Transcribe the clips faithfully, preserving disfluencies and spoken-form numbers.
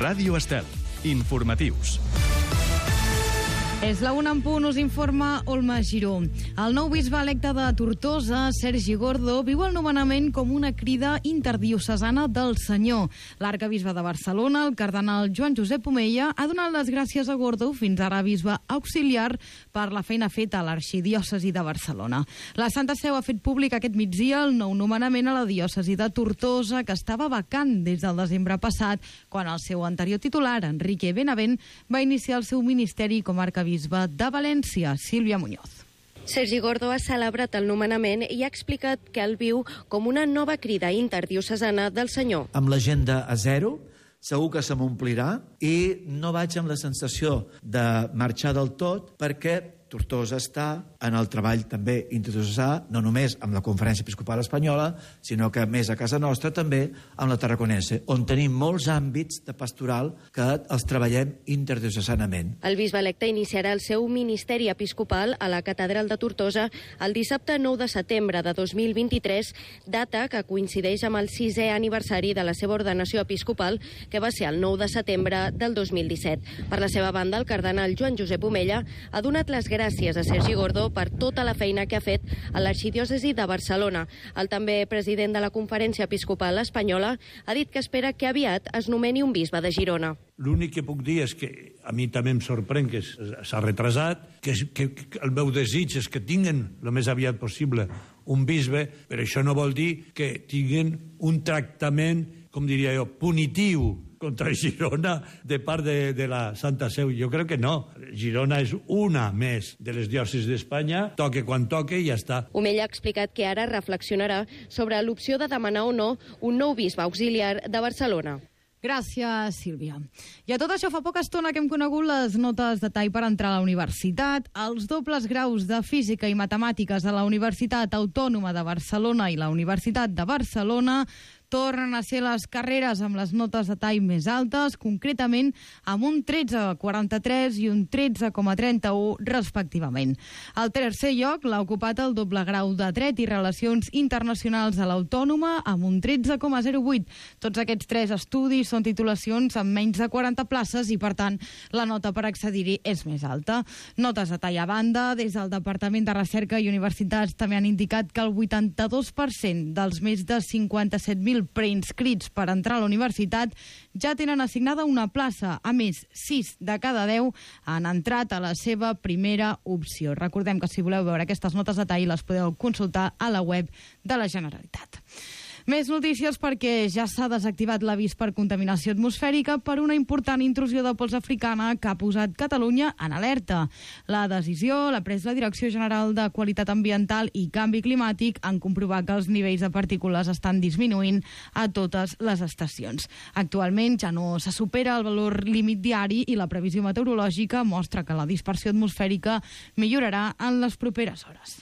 Ràdio Estel. Informatius. És la una en punt, us informa Olma Giró. El nou bisbe electe de Tortosa, Sergi Gordo, viu el nomenament com una crida interdiocesana del Senyor. L'arcabisbe de Barcelona, el cardenal Joan Josep Omella, ha donat les gràcies a Gordo, fins ara bisbe auxiliar, per la feina feta a l'arxidiòcesi de Barcelona. La Santa Seu ha fet públic aquest migdia el nou nomenament a la diòcesi de Tortosa, que estava vacant des del desembre passat, quan el seu anterior titular, Enrique Benavent, va iniciar el seu ministeri com a arcabisbe bisbe de València. Sílvia Muñoz. Sergi Gordo ha celebrat el nomenament i ha explicat que el viu com una nova crida interdiocesana del Senyor. Amb l'agenda a zero, segur que se m'omplirà i no vaig amb la sensació de marxar del tot, perquè Tortosa està en el treball també interdiocesà, no només amb la Conferència Episcopal Espanyola, sinó que més a casa nostra també amb la Tarraconense, on tenim molts àmbits de pastoral que els treballem interdiocesanament. El bisbe electe iniciarà el seu ministeri episcopal a la Catedral de Tortosa el dissabte nou de setembre de dos mil vint-i-tres, data que coincideix amb el sisè aniversari de la seva ordenació episcopal, que va ser el nou de setembre del dos mil disset. Per la seva banda, el cardenal Joan Josep Omella ha donat les gràcies a Sergi Gordo per tota la feina que ha fet a l'arxidiòcesi de Barcelona. El també president de la Conferència Episcopal Espanyola ha dit que espera que aviat es nomeni un bisbe de Girona. L'únic que puc dir és que a mi també em sorprèn que s'ha retrasat, que, que, que el meu desig és que tinguen el més aviat possible un bisbe, però això no vol dir que tinguen un tractament, com diria jo, punitiu contra Girona de part de, de la Santa Seu. Jo crec que no. Girona és una més de les diòcesis d'Espanya, toque quan toque i ja està. Omella ha explicat que ara reflexionarà sobre l'opció de demanar o no un nou bisbe auxiliar de Barcelona. Gràcies, Sílvia. I a tot això fa poca estona que hem conegut les notes de tall per entrar a la universitat. Els dobles graus de Física i Matemàtiques a la Universitat Autònoma de Barcelona i la Universitat de Barcelona tornen a ser les carreres amb les notes de tall més altes, concretament amb un tretze coma quaranta-tres i un tretze coma trenta-u respectivament. Al tercer lloc l'ha ocupat el doble grau de Dret i Relacions Internacionals a l'Autònoma amb un tretze coma zero vuit. Tots aquests tres estudis són titulacions amb menys de quaranta places i, per tant, la nota per accedir-hi és més alta. Notes de tall a banda, des del Departament de Recerca i Universitats també han indicat que el vuitanta-dos per cent dels més de cinquanta-set mil preinscrits per entrar a la universitat ja tenen assignada una plaça. A més, sis de cada deu han entrat a la seva primera opció. Recordem que si voleu veure aquestes notes de tall les podeu consultar a la web de la Generalitat. Més notícies perquè ja s'ha desactivat l'avís per contaminació atmosfèrica per una important intrusió de pols africana que ha posat Catalunya en alerta. La decisió l'ha pres la Direcció General de Qualitat Ambiental i Canvi Climàtic en comprovar que els nivells de partícules estan disminuint a totes les estacions. Actualment ja no se supera el valor límit diari i la previsió meteorològica mostra que la dispersió atmosfèrica millorarà en les properes hores.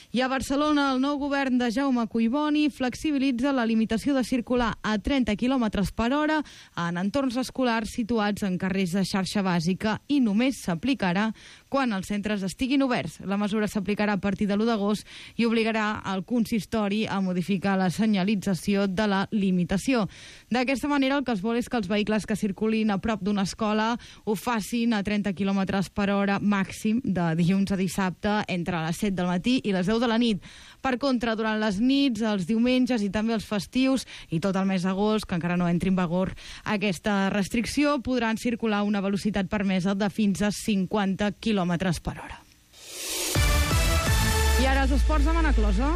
I a Barcelona, el nou govern de Jaume Collboni flexibilitza la limitació de circular a trenta quilòmetres per hora en entorns escolars situats en carrers de xarxa bàsica i només s'aplicarà quan els centres estiguin oberts. La mesura s'aplicarà a partir de l'u d'agost i obligarà el consistori a modificar la senyalització de la limitació. D'aquesta manera, el que es vol és que els vehicles que circulin a prop d'una escola ho facin a trenta quilòmetres per hora màxim de dilluns a dissabte entre les set del matí i les deu de la nit. Per contra, durant les nits, els diumenges i també els festius i tot el mes d'agost, que encara no entri en vigor aquesta restricció, podran circular a una velocitat permesa de fins a cinquanta quilòmetres per hora. I ara els esports de Manaclosa.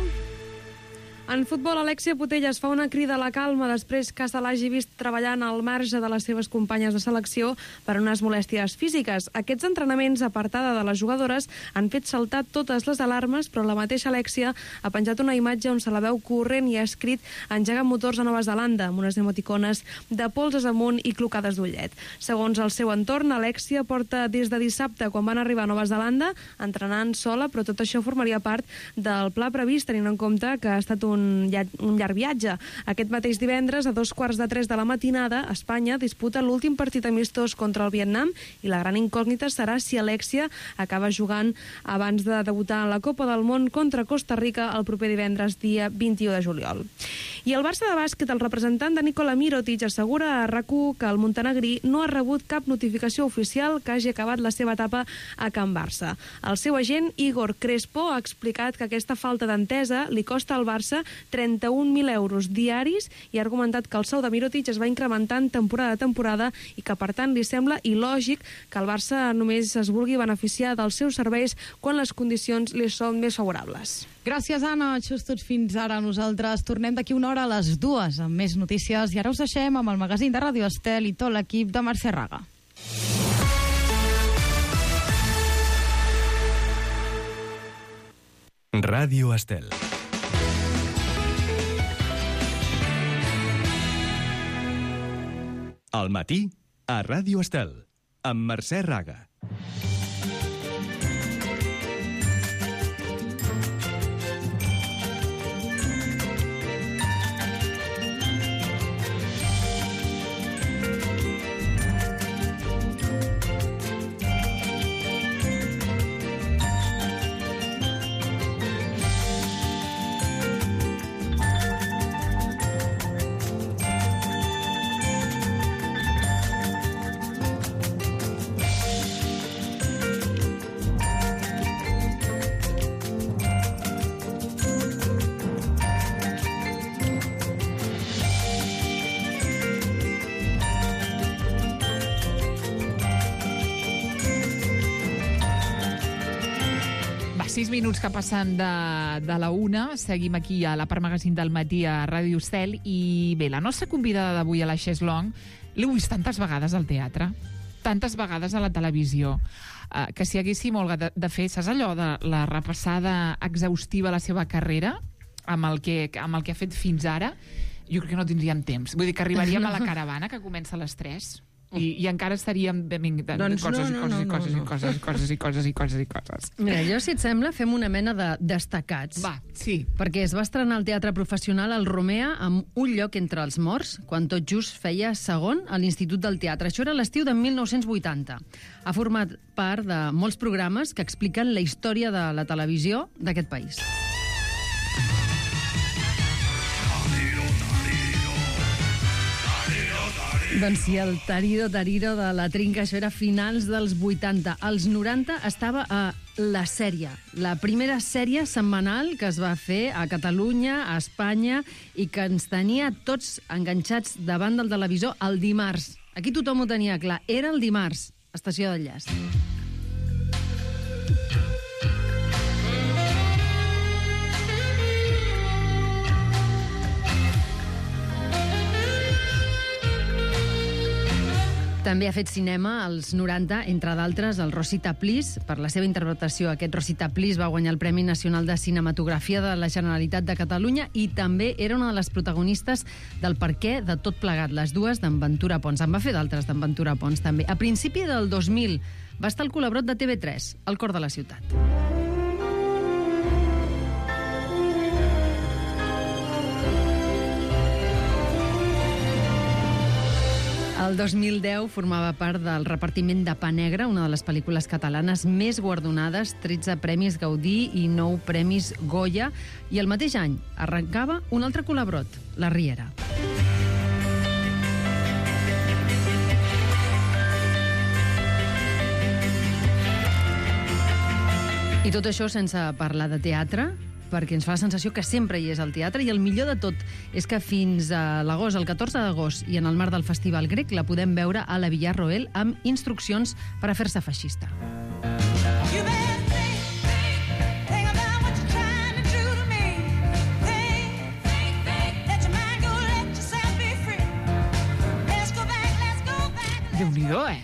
En futbol, Alexia Putellas fa una crida a la calma després que se l'hagi vist treballant al marge de les seves companyes de selecció per unes molèsties físiques. Aquests entrenaments, apartada de les jugadores, han fet saltar totes les alarmes, però la mateixa Alexia ha penjat una imatge on se la veu corrent i ha escrit "Engega motors a Nova Zelanda", amb unes emoticones de polses amunt i clocades d'ullet. Segons el seu entorn, Alexia porta des de dissabte, quan van arribar a Nova Zelanda, entrenant sola, però tot això formaria part del pla previst, tenint en compte que ha estat un un, un llarg viatge. Aquest mateix divendres, a dos quarts de tres de la matinada, Espanya disputa l'últim partit amistós contra el Vietnam i la gran incògnita serà si Alexia acaba jugant abans de debutar en la Copa del Món contra Costa Rica el proper divendres, dia vint-i-u de juliol. I el Barça de bàsquet, el representant de Nikola Mirotic, assegura a RAC u que el montenegrí no ha rebut cap notificació oficial que hagi acabat la seva etapa a Can Barça. El seu agent, Igor Crespo, ha explicat que aquesta falta d'entesa li costa al Barça trenta-un mil euros diaris i ha argumentat que el sou de Mirotic es va incrementant temporada a temporada i que, per tant, li sembla il·lògic que el Barça només es vulgui beneficiar dels seus serveis quan les condicions li són més favorables. Gràcies, Anna. Això és tot fins ara. Nosaltres tornem d'aquí una hora a les dues amb més notícies i ara us deixem amb el magazín de Ràdio Estel i tot l'equip de Mercè Raga. Ràdio Estel. Al matí, a Ràdio Estel, amb Mercè Raga. Sis minuts que passen de, de la una. Seguim aquí a la part magazín del matí a Ràdio Estel. I bé, la nostra convidada d'avui a la Cheslong l'he vist tantes vegades al teatre, tantes vegades a la televisió, eh, que si haguéssim, Olga, de, de fer, saps allò de la repassada exhaustiva a la seva carrera, amb el, que, amb el que ha fet fins ara, jo crec que no tindríem temps. Vull dir que arribaríem a la caravana, que comença a les tres, I, i encara estaríem de, de, de doncs coses, no, no, no, i coses, no, no. i coses, i coses, i coses, i coses, i coses. Mira, jo, si et sembla, fem una mena de destacats. Va, sí. Perquè es va estrenar al Teatre Professional al Romea amb Un lloc entre els morts, quan tot just feia segon a l'Institut del Teatre. Això era l'estiu de mil nou-cents vuitanta. Ha format part de molts programes que expliquen la història de la televisió d'aquest país. Doncs sí, el Tariro Tariro de la Trinca, això era finals dels vuitanta. Als noranta estava a La Sèrie, la primera sèrie setmanal que es va fer a Catalunya, a Espanya, i que ens tenia tots enganxats davant del televisor el dimarts. Aquí tothom ho tenia clar. Era el dimarts, estació d'enllaç. També ha fet cinema als noranta, entre d'altres, el Rosita Please. Per la seva interpretació, aquest Rosita Please va guanyar el Premi Nacional de Cinematografia de la Generalitat de Catalunya i també era una de les protagonistes del Per què de tot plegat, les dues d'en Ventura Pons. En va fer d'altres d'en Ventura Pons, també. A principi del dos mil va estar al Colabrot de T V tres, al cor de la ciutat. El dos mil deu formava part del repartiment de Pa Negre, una de les pel·lícules catalanes més guardonades, tretze premis Gaudí i nou premis Goya, i el mateix any arrencava un altre colabrot, La Riera. I tot això sense parlar de teatre, perquè ens fa la sensació que sempre hi és al teatre, i el millor de tot és que fins a l'agost, el catorze d'agost, i en el marc del Festival Grec, la podem veure a la Villarroel amb instruccions per a fer-se feixista. Déu-n'hi-do, eh?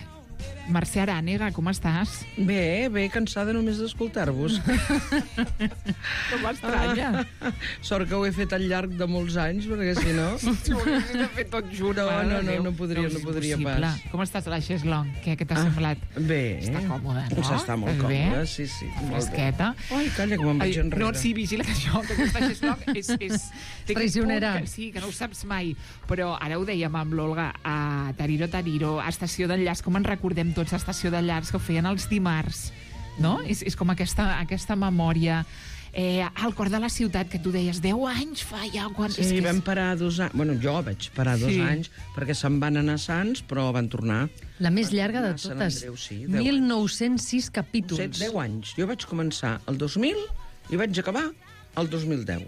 Mercè Arànega, com estàs? Bé, bé, cansada només d'escoltar-vos. No m'estranya. Ah, sort que ho he fet al llarg de molts anys, perquè si no... Si ho haguessis de fer tot junt. No, no, no, no podria, no podria pas. Com estàs a la Xeslong? Què, què t'ha ah, semblat? Bé. Està còmode, no? S'està molt còmode, sí, sí. Fresqueta. Ai, calla, que me'n vaig enrere. No, sí, vigila que això, que aquesta Xeslong és... és traicionera. Que, sí, que no ho saps mai. Però ara ho dèiem amb l'Olga, a Tariro, Tariro, a Estació d'Enllaç, com en recordem tots, a Estació d'Enllaç, que ho feien els dimarts, no? És, és com aquesta, aquesta memòria... Eh, al cor de la ciutat, que tu deies deu anys fa ja... Quan... Sí, és vam és... parar dos anys... Bueno, jo vaig parar dos sí. anys perquè se'n van anar a Sants, però van tornar. La més llarga de totes. Andreu, sí, mil nou-cents sis capítols. deu anys. Jo vaig començar el dos mil i vaig acabar el dos mil deu.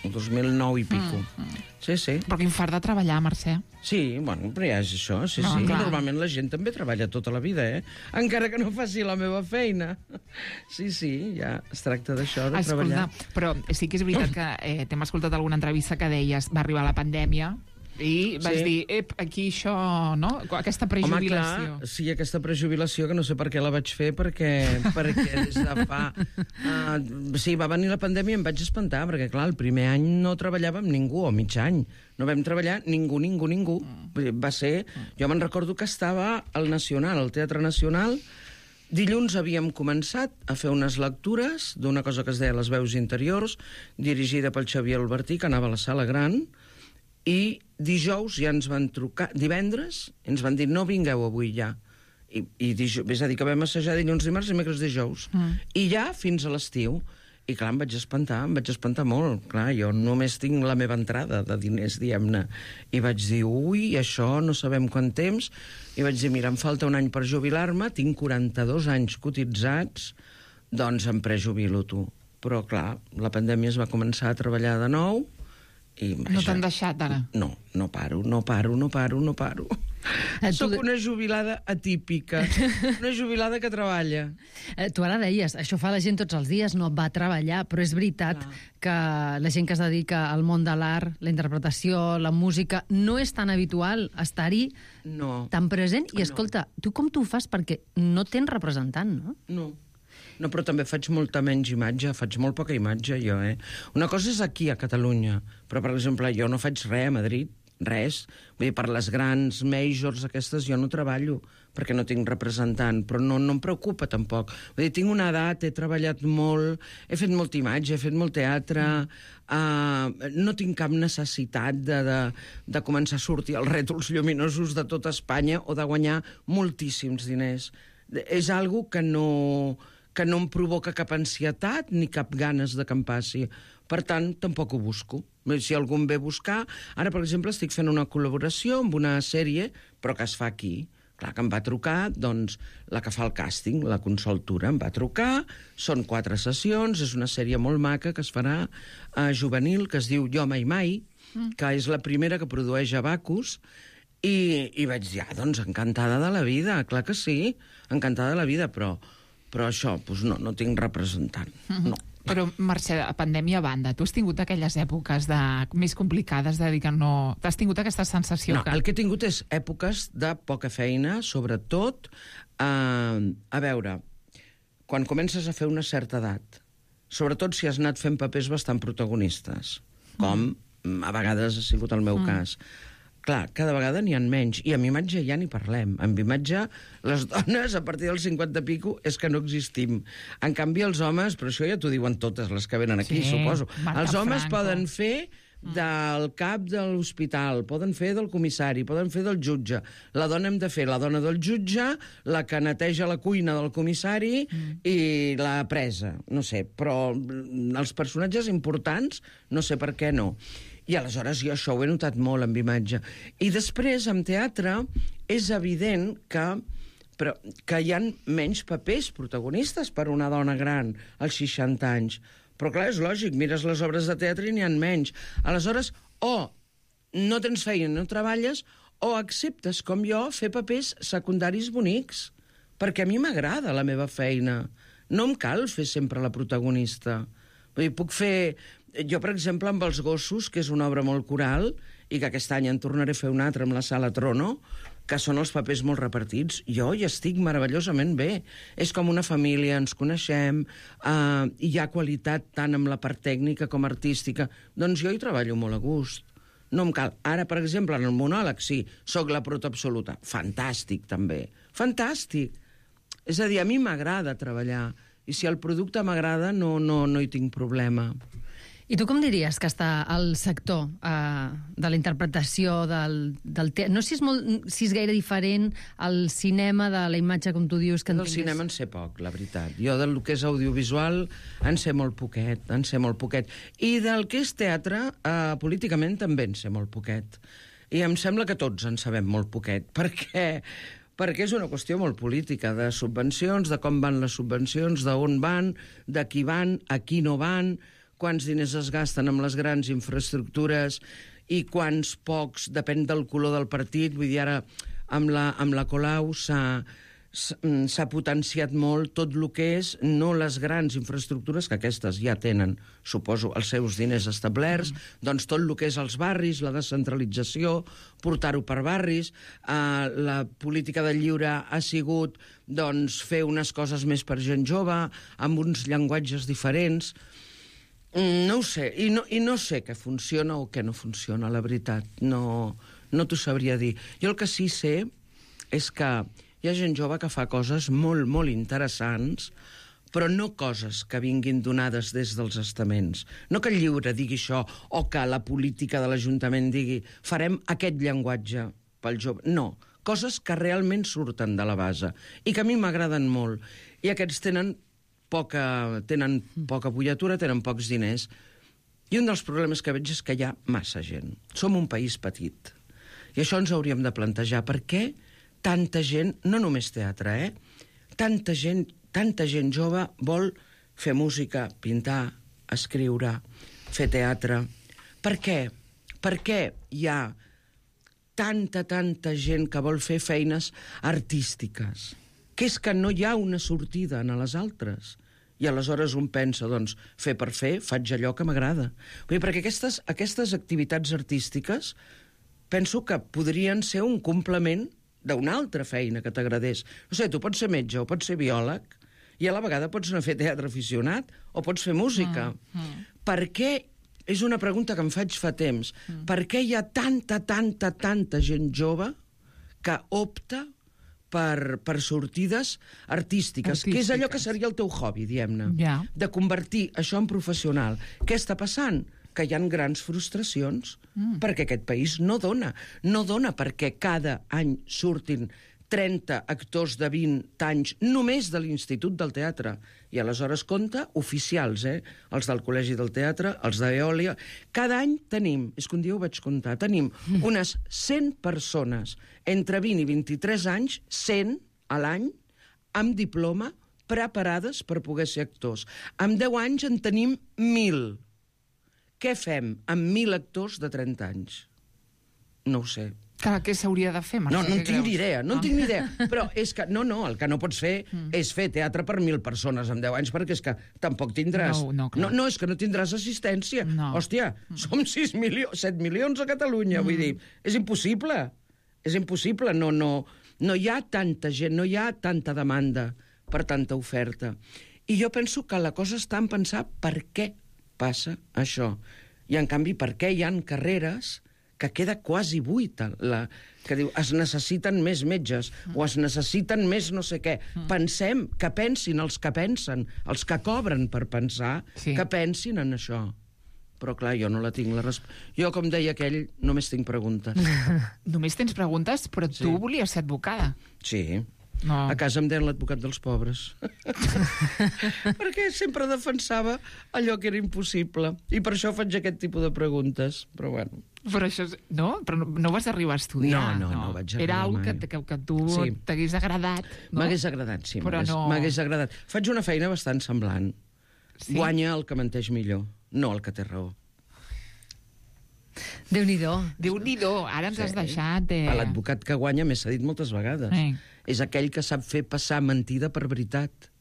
El dos mil nou i pico. Mm, mm. Sí, sí. Però quin fart de treballar, Mercè. Sí, bueno, però ja és això, sí, no, sí. Clar. Normalment la gent també treballa tota la vida, eh? Encara que no faci la meva feina. Sí, sí, ja es tracta d'això, de Escolta, treballar. Però sí que és veritat que eh, t'hem escoltat alguna entrevista que deies va arribar la pandèmia i vas sí. dir, ep, aquí això, no? Aquesta prejubilació. Home, clar, sí, aquesta prejubilació, que no sé per què la vaig fer, perquè, perquè des de fa... Uh, sí, va venir la pandèmia i em vaig espantar, perquè, clar, el primer any no treballava amb ningú, o mig any. No vam treballar ningú, ningú, ningú. Va ser... Jo me'n recordo que estava al Nacional, al Teatre Nacional. Dilluns havíem començat a fer unes lectures d'una cosa que es deia Les veus interiors, dirigida pel Xavier Albertí, que anava a la Sala Gran, i dijous ja ens van trucar, divendres ens van dir no vingueu avui ja, i, i dijous, és a dir, que vam assajar dilluns, dimarts i dimecres, dijous, mm. i ja fins a l'estiu. I clar, em vaig espantar, em vaig espantar molt. Clar, jo només tinc la meva entrada de diners, diguem-ne. I vaig dir, ui, això no sabem quant temps. I vaig dir, mira, em falta un any per jubilar-me, tinc quaranta-dos anys cotitzats, doncs em prejubilo, tu. Però clar, la pandèmia es va començar a treballar de nou. I, no t'han deixat, ara? No, no paro, no paro, no paro, no paro. Eh, Soc tu... una jubilada atípica, una jubilada que treballa. Eh, tu ara deies, això fa la gent tots els dies, no va treballar, però és veritat Clar. que la gent que es dedica al món de l'art, la interpretació, la música, no és tan habitual estar-hi no. tan present. I escolta, no. tu com t'ho fas? Perquè no tens representant, no? No. No, però també faig molta menys imatge, faig molt poca imatge, jo, eh? Una cosa és aquí, a Catalunya, però, per exemple, jo no faig res a Madrid, res. Vull dir, per les grans majors aquestes jo no treballo, perquè no tinc representant, però no, no em preocupa, tampoc. Vull dir, tinc una edat, he treballat molt, he fet molta imatge, he fet molt teatre, uh, no tinc cap necessitat de, de, de començar a sortir als rètols lluminosos de tota Espanya o de guanyar moltíssims diners. És algo que no... que no em provoca cap ansietat ni cap ganes de que em passi. Per tant, tampoc ho busco. Si algú em ve a buscar... Ara, per exemple, estic fent una col·laboració amb una sèrie, però que es fa aquí. Clar que em va trucar, doncs, la que fa el càsting, la Consoltura, em va trucar, són quatre sessions, és una sèrie molt maca que es farà a juvenil, que es diu Jo mai mai, mm. que és la primera que produeix Abacus, i, i vaig dir, ah, doncs, encantada de la vida, clar que sí, encantada de la vida, però... Però això, doncs no, no tinc representant, no. Però, Mercè, a pandèmia a banda, tu has tingut aquelles èpoques de, més complicades de dir que no... T'has tingut aquesta sensació no, que... el que he tingut és èpoques de poca feina, sobretot, eh, a veure, quan comences a fer una certa edat, sobretot si has anat fent papers bastant protagonistes, com mm. a vegades ha sigut el meu mm. cas. Clar, cada vegada n'hi ha menys. I amb imatge ja n'hi parlem. Amb imatge, les dones, a partir dels cinquanta pico, és que no existim. En canvi, els homes, però això ja t'ho diuen totes les que venen aquí, sí, suposo. Marta els homes Franco. poden fer del cap de l'hospital, poden fer del comissari, poden fer del jutge. La dona hem de fer la dona del jutge, la que neteja la cuina del comissari mm. i la presa. No sé, però els personatges importants, no sé per què no. I aleshores jo això ho he notat molt amb imatge. I després, amb teatre, és evident que, però, que hi ha menys papers protagonistes per una dona gran als seixanta anys. Però clar, és lògic, mires les obres de teatre i n'hi ha menys. Aleshores, o no tens feina, no treballes, o acceptes, com jo, fer papers secundaris bonics. Perquè a mi m'agrada la meva feina. No em cal fer sempre la protagonista. Vull dir, puc fer... Jo, per exemple, amb Els gossos, que és una obra molt coral, i que aquest any en tornaré a fer una altra amb la Sala Trono, que són els papers molt repartits. Jo hi estic meravellosament bé. És com una família, ens coneixem, eh, hi ha qualitat tant amb la part tècnica com artística. Doncs jo hi treballo molt a gust. No em cal. Ara, per exemple, en el monòleg, sí, sóc la prota absoluta. Fantàstic, també. Fantàstic. És a dir, a mi m'agrada treballar. I si el producte m'agrada, no, no, no hi tinc problema. I tu com diries que està el sector eh, de la interpretació del, del teatre? No sé si és, molt, si és gaire diferent al cinema de la imatge, com tu dius, que en Del tingués... cinema en sé poc, la veritat. Jo del que és audiovisual en sé molt poquet, en sé molt poquet. I del que és teatre, eh, políticament també en sé molt poquet. I em sembla que tots en sabem molt poquet, perquè... perquè és una qüestió molt política, de subvencions, de com van les subvencions, d'on van, de qui van, a qui no van, quants diners es gasten amb les grans infraestructures i quants pocs, depèn del color del partit. Vull dir, ara amb la, amb la Colau s'ha s'ha potenciat molt tot el que és, no les grans infraestructures, que aquestes ja tenen, suposo, els seus diners establerts, mm. doncs tot el que és els barris, la descentralització, portar-ho per barris, eh, la política del lliure ha sigut doncs, fer unes coses més per gent jove, amb uns llenguatges diferents. No ho sé, i no, i no sé què funciona o què no funciona, la veritat. No, no t'ho sabria dir. Jo el que sí sé és que hi ha gent jove que fa coses molt, molt interessants, però no coses que vinguin donades des dels estaments. No que el lliure digui això, o que la política de l'Ajuntament digui farem aquest llenguatge pel jove. No, coses que realment surten de la base i que a mi m'agraden molt. I aquests tenen poca, tenen poca bullatura, tenen pocs diners. I un dels problemes que veig és que hi ha massa gent. Som un país petit. I això ens hauríem de plantejar. Per què tanta gent, no només teatre, eh? Tanta gent, tanta gent jove vol fer música, pintar, escriure, fer teatre. Per què? Per què hi ha tanta, tanta gent que vol fer feines artístiques? Que és que no hi ha una sortida en les altres. I aleshores un pensa, doncs, fer per fer, faig allò que m'agrada. Perquè aquestes, aquestes activitats artístiques penso que podrien ser un complement d'una altra feina que t'agradés. No sé, tu pots ser metge o pots ser biòleg i a la vegada pots anar a fer teatre aficionat o pots fer música. Mm, mm. Per què, és una pregunta que em faig fa temps, mm. per què hi ha tanta, tanta, tanta gent jove que opta per, per sortides artístiques, artístiques, que és allò que seria el teu hobby, diguem-ne, yeah. de convertir això en professional. Què està passant? Que hi ha grans frustracions, mm. perquè aquest país no dona. No dona perquè cada any surtin trenta actors de vint anys només de l'Institut del Teatre. I aleshores compta oficials, eh? Els del Col·legi del Teatre, els d'Eòlia. Cada any tenim, és que un dia ho vaig comptar, tenim mm. unes cent persones entre vint i vint-i-tres anys, cent a l'any, amb diploma, preparades per poder ser actors. Amb deu anys en tenim mil. Què fem amb mil actors de trenta anys? No ho sé. Clar, què s'hauria de fer, Mercè? No, no en tinc ni idea, no en tinc ni idea. Però és que, no, no, el que no pots fer mm. és fer teatre per mil persones en deu anys, perquè és que tampoc tindràs... No, no, clar. No, no, és que no tindràs assistència. No. Hòstia, mm. som sis milions, set milions a Catalunya, mm. vull dir, és impossible. És impossible, no, no, no hi ha tanta gent, no hi ha tanta demanda per tanta oferta. I jo penso que la cosa està en pensar per què passa això. I, en canvi, per què hi ha carreres que queda quasi buita, la, que diu, es necessiten més metges, mm. o es necessiten més no sé què. Mm. Pensem, que pensin els que pensen, els que cobren per pensar, sí. que pensin en això. Però, clar, jo no la tinc la resposta. Jo, com deia aquell, només tinc preguntes. Només tens preguntes, però tu sí. volies ser advocada. Sí. No. A casa em deien l'advocat dels pobres. Perquè sempre defensava allò que era impossible. I per això faig aquest tipus de preguntes. Però bueno. Però això és... No? Però no, no vas arribar a estudiar. No, no, no, no vaig arribar Era algo mai. que, que, que tu sí. t'hagués agradat. No? M'hagués agradat, sí. Però no... M'hagués agradat. Faig una feina bastant semblant. Sí? Guanya el que menteix millor, no el que té raó. Déu-n'hi-do. Déu-n'hi-do, ara ens sí. has deixat... Eh... L'advocat que guanya, m'he dit moltes vegades, eh. és aquell que sap fer passar mentida per veritat.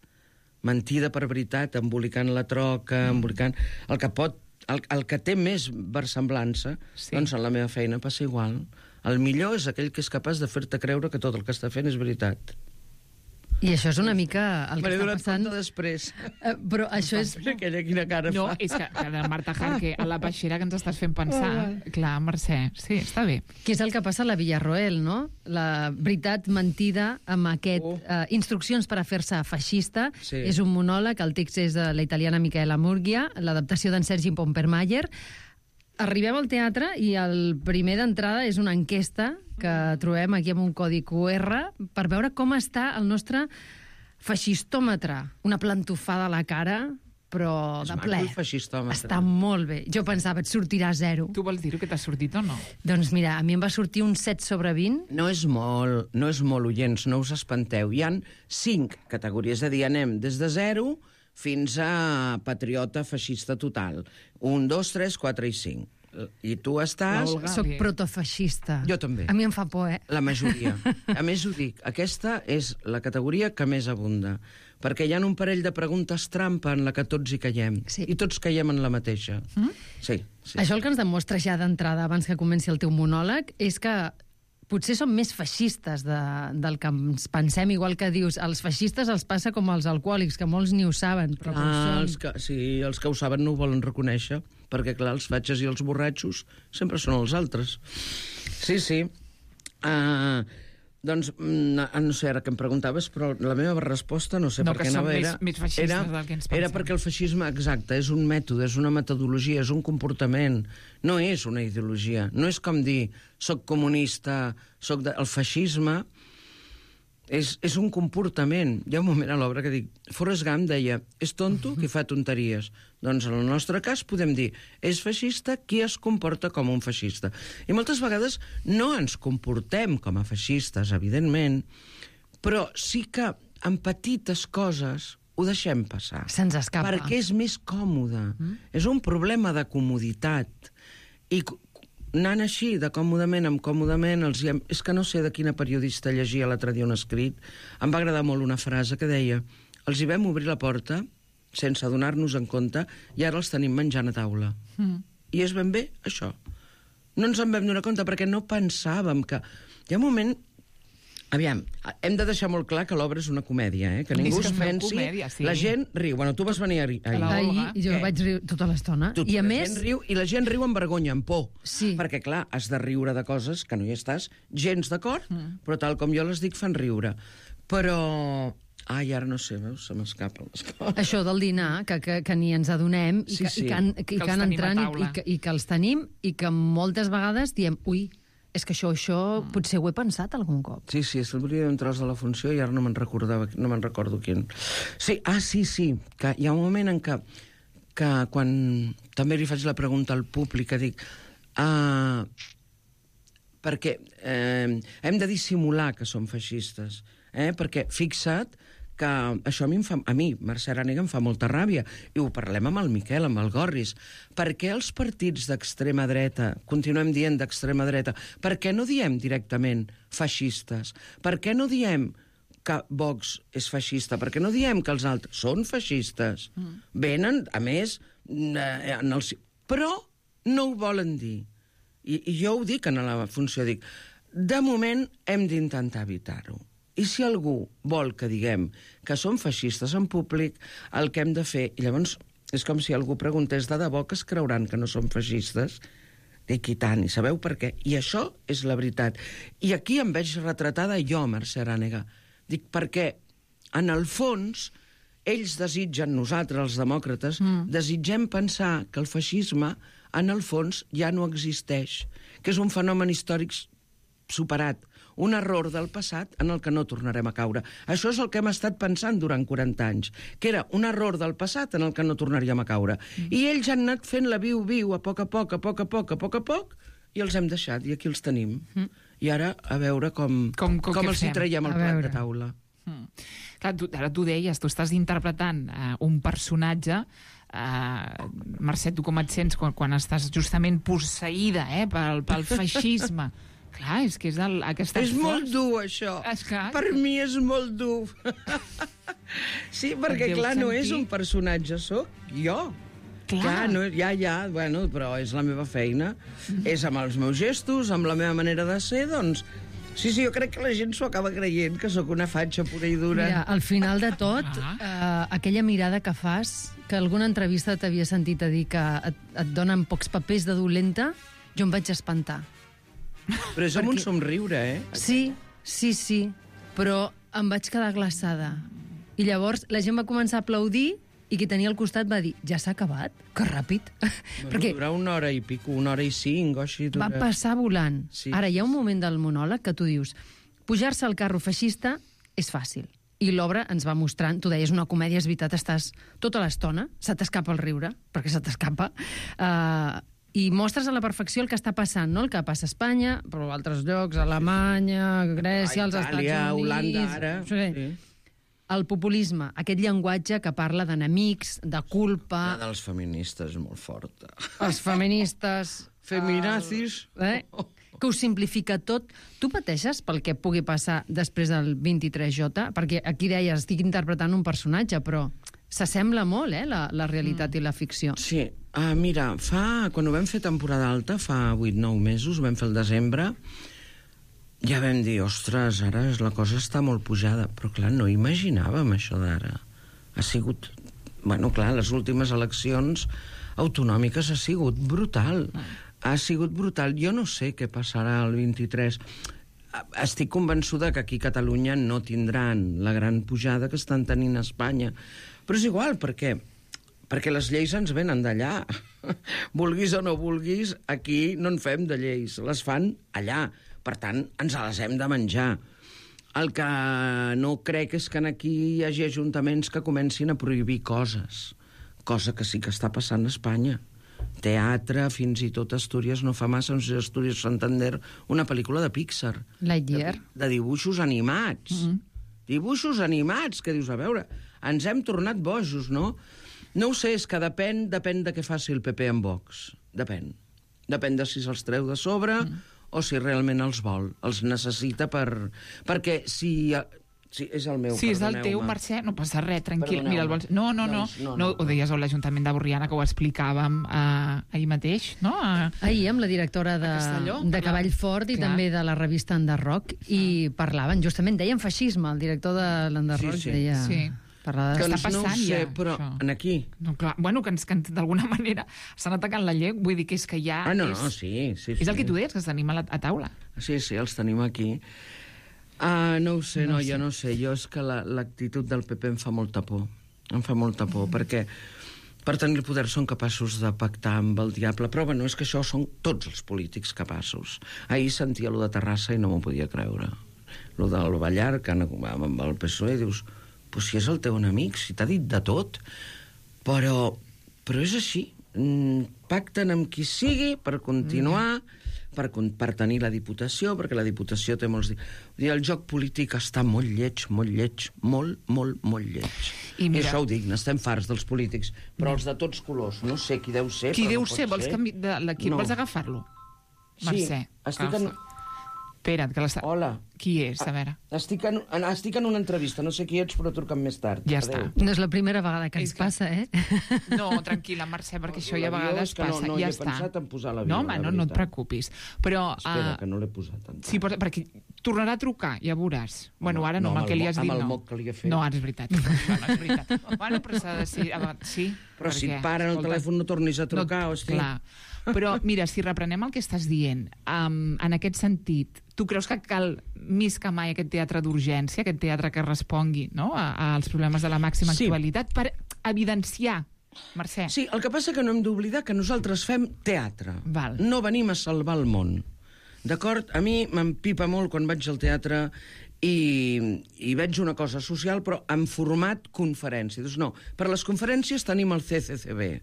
Mentida per veritat, embolicant la troca, mm. embolicant... El que pot... El, el que té més versemblança, sí. doncs en la meva feina passa igual. El millor és aquell que és capaç de fer-te creure que tot el que està fent és veritat. I això és una mica el que M'he està donat passant... compte després. Uh, però això és... Aquella quina cara No, fa. és que, que de Marta Jarque, a la peixera que ens estàs fent pensar. Clar, Mercè, sí, està bé. Que és el que passa a la Villarroel, no? La veritat mentida amb aquest... Oh. Uh, instruccions per a fer-se feixista. Sí. És un monòleg, el text és de la italiana Micaela Murgia, l'adaptació d'en Sergi Pompermayer. Arribem al teatre i el primer d'entrada és una enquesta que trobem aquí amb un codi Q R per veure com està el nostre feixistòmetre. Una plantofada a la cara, però És de maco ple. el feixistòmetre. Està molt bé. Jo pensava, et sortirà zero. Tu vols dir-ho que t'ha sortit o no? Doncs mira, a mi em va sortir un set sobre vint. No és molt, no és molt, oients, no us espanteu. Hi han cinc categories, és a dir, anem des de zero fins a patriota feixista total. Un, dos, tres, quatre i cinc. I tu estàs... L'Olga. Soc Bé. protofeixista. Jo també. A mi em fa por, eh? La majoria. A més, ho dic, aquesta és la categoria que més abunda, perquè hi ha un parell de preguntes trampa en la que tots hi caiem, Sí. i tots caiem en la mateixa. Mm? Sí, sí. Això el que ens demostra ja d'entrada, abans que comenci el teu monòleg, és que potser som més feixistes de, del que ens pensem, igual que dius, els feixistes els passa com als alcohòlics, que molts ni ho saben, però com Ah, són... els que, sí, els que ho saben no ho volen reconèixer, perquè, clar, els fatxes i els borratxos sempre són els altres. Sí, sí. Uh, doncs, mm, no sé ara què em preguntaves, però la meva resposta, no sé No, per que què som anava, més- era... més feixistes era, del que ens era pensem. perquè el feixisme, exacte, és un mètode, és una metodologia, és un comportament, no és una ideologia. No és com dir, soc comunista, soc de... El feixisme és, és un comportament. Hi ha un moment a l'obra que dic... Forrest Gump deia, és tonto qui fa tonteries. Doncs en el nostre cas podem dir, és feixista qui es comporta com un feixista. I moltes vegades no ens comportem com a feixistes, evidentment, però sí que en petites coses ho deixem passar. Se'ns escapa. Perquè és més còmode. Mm? És un problema de comoditat. I c- anant així, de còmodament en còmodament, els hi hem... és que no sé de quina periodista llegia l'altre dia un escrit, em va agradar molt una frase que deia, els hi vam obrir la porta sense adonar-nos en compte i ara els tenim menjant a taula. Mm. I és ben bé això. No ens en vam donar compte perquè no pensàvem que... Hi ha un moment... Aviam, hem de deixar molt clar que l'obra és una comèdia, eh? Que És ningú que es feu pensi... comèdia, sí. La gent riu. Bueno, tu vas venir ahir. A la Ahir Olga. jo Què? vaig riure tota l'estona. Tu, I a la més... gent riu, I la gent riu amb vergonya, amb por. Sí. Perquè, clar, has de riure de coses que no hi estàs gens d'acord, mm. però tal com jo les dic fan riure. Però... Ai, ara no sé, veus? Se m'escapen les coses. Això del dinar, que, que, que ni ens adonem, i Sí, que, sí. i que, han, i Que que, els han tenim a entrant i, taula. i, que, i que els tenim, i que moltes vegades diem, ui, és que això, això mm. potser ho he pensat algun cop. Sí, sí, és un tros de la funció i ara no me'n recordava, no me'n recordo quin. Sí, ah, sí, sí, que hi ha un moment en què, que quan també li faig la pregunta al públic, que dic, ah, perquè eh, hem de dissimular que som feixistes, eh? Perquè fixa't que això a mi, em fa, a mi, Mercè Arànega, em fa molta ràbia, i ho parlem amb el Miquel, amb el Gorris. Per què els partits d'extrema dreta, continuem dient d'extrema dreta, per què no diem directament feixistes? Per què no diem que Vox és feixista? Per què no diem que els altres són feixistes? Mm. Venen, a més, eh, en el... però no ho volen dir. I, I jo ho dic en la funció, dic, de moment hem d'intentar evitar-ho. I si algú vol que diguem que som feixistes en públic, el que hem de fer... I llavors és com si algú preguntés de debò que es creuran que no som feixistes. Dic, i tant, i sabeu per què? I això és la veritat. I aquí em veig retratada jo, Mercè Arànega. Dic, perquè en el fons ells desitgen, nosaltres, els demòcrates, mm. desitgem pensar que el feixisme en el fons ja no existeix, que és un fenomen històric superat, un error del passat en el que no tornarem a caure. Això és el que hem estat pensant durant quaranta anys, que era un error del passat en el que no tornaríem a caure. Mm. I ells han anat fent la viu-viu a poc a poc, a poc a poc, a poc a poc, i els hem deixat, i aquí els tenim. Mm. I ara, a veure com, Com- com com què els hi fem? traiem el A plat veure. de taula. Mm. Clar, tu, ara tu deies, tu estàs interpretant uh, un personatge, uh, Mercè, tu com et sents quan, quan estàs justament posseïda eh, pel, pel feixisme? Clar, és que és el, aquest És esforç. molt dur, això. És que- Per mi és molt dur. Sí, perquè, Deus clar, no és sentir- un personatge, sóc jo. Clar. Clar, no, ja, ja, bueno, però és la meva feina. És amb els meus gestos, amb la meva manera de ser, doncs... Sí, sí, jo crec que la gent s'ho acaba creient, que sóc una fatxa pura i dura. Mira, al final de tot, eh, aquella mirada que fas, que alguna entrevista t'havia sentit a dir que et, et donen pocs papers de dolenta, jo em vaig espantar. Però és amb un somriure, eh? Sí, sí, sí, però em vaig quedar glaçada. I llavors la gent va començar a aplaudir i qui tenia al costat va dir, ja s'ha acabat? Que ràpid. Bueno, Perquè durar una hora i pico, una hora i cinc, o així. va Dura... passar volant. Sí. Ara, hi ha un moment del monòleg que tu dius, pujar-se al carro feixista és fàcil. I l'obra ens va mostrant, tu deies, una comèdia, és veritat, estàs tota l'estona, se t'escapa el riure, perquè se t'escapa, uh, i mostres a la perfecció el que està passant, no? El que passa a Espanya, però a altres llocs, a Alemanya, a Grècia, als Estats Itàlia, Units... Holanda, ara... Sí. Sí. El populisme, aquest llenguatge que parla d'enemics, de culpa... La dels feministes és molt forta. Els feministes... Feminazis. Eh? Que ho simplifica tot. Tu pateixes pel que pugui passar després del vint-i-tres J? Perquè aquí deies, estic interpretant un personatge, però s'assembla molt, eh, la, la realitat mm. i la ficció. Sí. Uh, mira, fa, quan ho vam fer temporada alta, fa vuit nou mesos, ho vam fer al desembre, ja vam dir, ostres, ara la cosa està molt pujada. Però, clar, no imaginàvem això d'ara. Ha sigut... Bueno, clar, les últimes eleccions autonòmiques ha sigut brutal. Ha sigut brutal. Jo no sé què passarà el vint-i-tres. Estic convençuda que aquí a Catalunya no tindran la gran pujada que estan tenint a Espanya. Però és igual, perquè, perquè les lleis ens venen d'allà. Vulguis o no vulguis, aquí no en fem de lleis. Les fan allà. Per tant, ens les hem de menjar. El que no crec és que aquí hi hagi ajuntaments que comencin a prohibir coses, cosa que sí que està passant a Espanya. Teatre, fins i tot Astúries no fa massa, no sé, Astúries Santander, una pel·lícula de Pixar. Lightyear. De, de dibuixos animats. Mm-hmm. Dibuixos animats, que dius, a veure, ens hem tornat bojos, no? No ho sé, és que depèn, depèn de què faci el P P amb Vox. Depèn. Depèn de si se'ls treu de sobre... Mm. o si realment els vol, els necessita per... Perquè si... si és el meu, si és el teu, Mercè, no passa res, tranquil. Mira, el vols... No, no, no, doncs, no, no, no. Ho deies a l'Ajuntament de Borriana, que ho explicàvem eh, ahir mateix, no? A... Ahir amb la directora de, Castelló, de Cavall Fort i clar. També de la revista Enderroc, i parlaven, justament, deien feixisme, el director de l'Enderroc sí, sí. deia... Sí. De... Que està passant no ho sé, ja, però això. En aquí... No, clar, bueno, que, ens, que d'alguna manera estan atacant la llei, vull dir que és que ja... Ah, no, és, no, sí, sí, sí. És el que tu deies, que els tenim a, la, a taula. Sí, sí, els tenim aquí. Ah, no ho sé, no, No no sé. jo no sé. Jo és que l'actitud la, del P P em fa molta por. Em fa molta por, mm. perquè per tenir el poder són capaços de pactar amb el diable. Però, bueno, és que això són tots els polítics capaços. Ahir sentia lo de Terrassa i no m'ho podia creure. Lo del Ballar, que amb el P S O E, dius... Pues si és el teu enemic, si t'ha dit de tot, però, però és així. Pacten amb qui sigui per continuar, per, per tenir la Diputació, perquè la Diputació té molts... I el joc polític està molt lleig, molt lleig, molt, molt, molt lleig. I, mira, I això ho dic, n'estem farts dels polítics, però els de tots colors, no sé qui deu ser, qui però deu no ser? Vols, canvi... de l'equip, no. vols agafar-lo? Sí, Mercè, estic agafa. en... Espera't, que l'està... Hola. Qui és, a veure? Estic en, estic en una entrevista, no sé qui ets, però truca'm més tard. Ja Adéu. està. No és la primera vegada que ens que... passa, eh? No, tranquil·la, Mercè, perquè això ja a vegades que no, passa. no, ja he està. pensat en posar l'avió, no, home, no, no et preocupis. Però, Espera, uh, que no l'he posat tant. sí, però, perquè tornarà a trucar, ja veuràs. Home, bueno, ara no, no, amb el que li has dit, amb no. el moc que li he fet. No, ara és veritat. bueno, és veritat. bueno, però s'ha de ser... Sí, però si perquè, et paren el telèfon no tornis a trucar, no, hosti. Clar. Però, mira, si reprenem el que estàs dient, um, en aquest sentit, tu creus que cal més que mai aquest teatre d'urgència, aquest teatre que respongui, no?, a, als problemes de la màxima Sí. actualitat, per evidenciar, Mercè? Sí, el que passa que no hem d'oblidar que nosaltres fem teatre. Val. No venim a salvar el món. D'acord? A mi m'empipa molt quan vaig al teatre i, i veig una cosa social, però en format conferència. Doncs no, per a les conferències tenim el C C C B.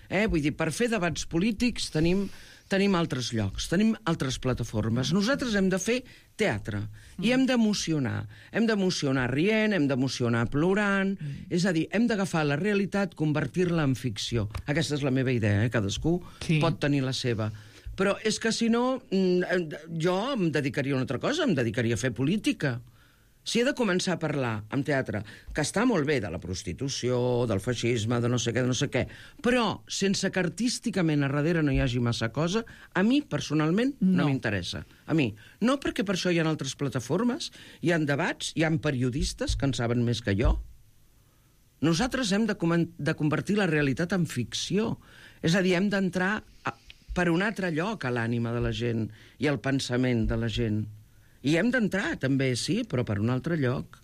Eh? Vull dir, per fer debats polítics tenim, tenim altres llocs, tenim altres plataformes. Nosaltres hem de fer teatre mm. i hem d'emocionar. Hem d'emocionar rient, hem d'emocionar plorant, mm. és a dir, hem d'agafar la realitat, convertir-la en ficció. Aquesta és la meva idea, eh? Cadascú sí. pot tenir la seva. Però és que si no, jo em dedicaria a una altra cosa, em dedicaria a fer política. Si he de començar a parlar en teatre, que està molt bé, de la prostitució, del feixisme, de no sé què, de no sé què, però sense que artísticament a darrere no hi hagi massa cosa, a mi, personalment, no, no m'interessa. A mi. No perquè per això hi ha altres plataformes, hi ha debats, hi ha periodistes que en saben més que jo. Nosaltres hem de, de convertir la realitat en ficció. És a dir, hem d'entrar per un altre lloc a l'ànima de la gent i al pensament de la gent. I hem d'entrar, també, sí, però per un altre lloc.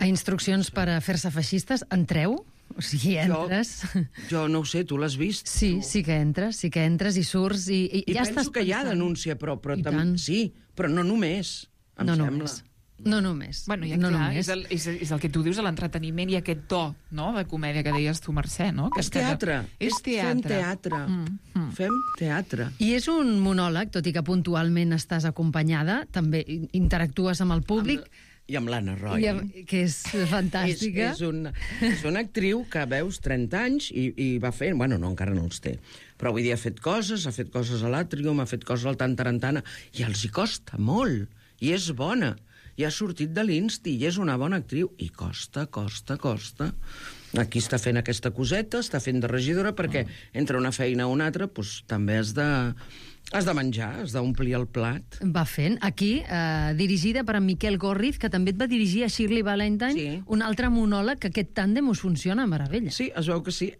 A instruccions per a fer-se feixistes, entreu? O sigui, entres... Jo, jo no ho sé, tu l'has vist? Sí, tu. sí que entres, sí que entres i surts i, i, I ja penso estàs que hi ha pensant. denúncia, però, però tam... sí, però no només, em no sembla. Només. No només. Bueno, ja no clar, només. és, el, és, és el que tu dius, l'entreteniment i aquest to, no?, de comèdia que deies tu, Mercè, no? Que És teatre. És teatre. Fem teatre. Mm, mm. Fem teatre. I és un monòleg, tot i que puntualment estàs acompanyada, també interactues amb el públic. Amb, I amb l'Anna Roy. I amb, que és fantàstica. és, és, una, és una actriu que veus trenta anys i, i va fer... Bueno, no, encara no els té. Però avui dia ha fet coses, ha fet coses a l'Àtrium, ha fet coses al Tantarantana, i els hi costa molt. I és bona. I ha sortit de l'Insti, i és una bona actriu. I costa, costa, costa. Aquí està fent aquesta coseta, està fent de regidora, perquè entre una feina o una altra doncs, també has de, has de menjar, has d'omplir el plat. Va fent. Aquí, eh, dirigida per en Miquel Gorriz, que també et va dirigir a Shirley Valentine, Sí. un altre monòleg, que aquest tàndem us funciona a meravella. Sí, es veu que sí.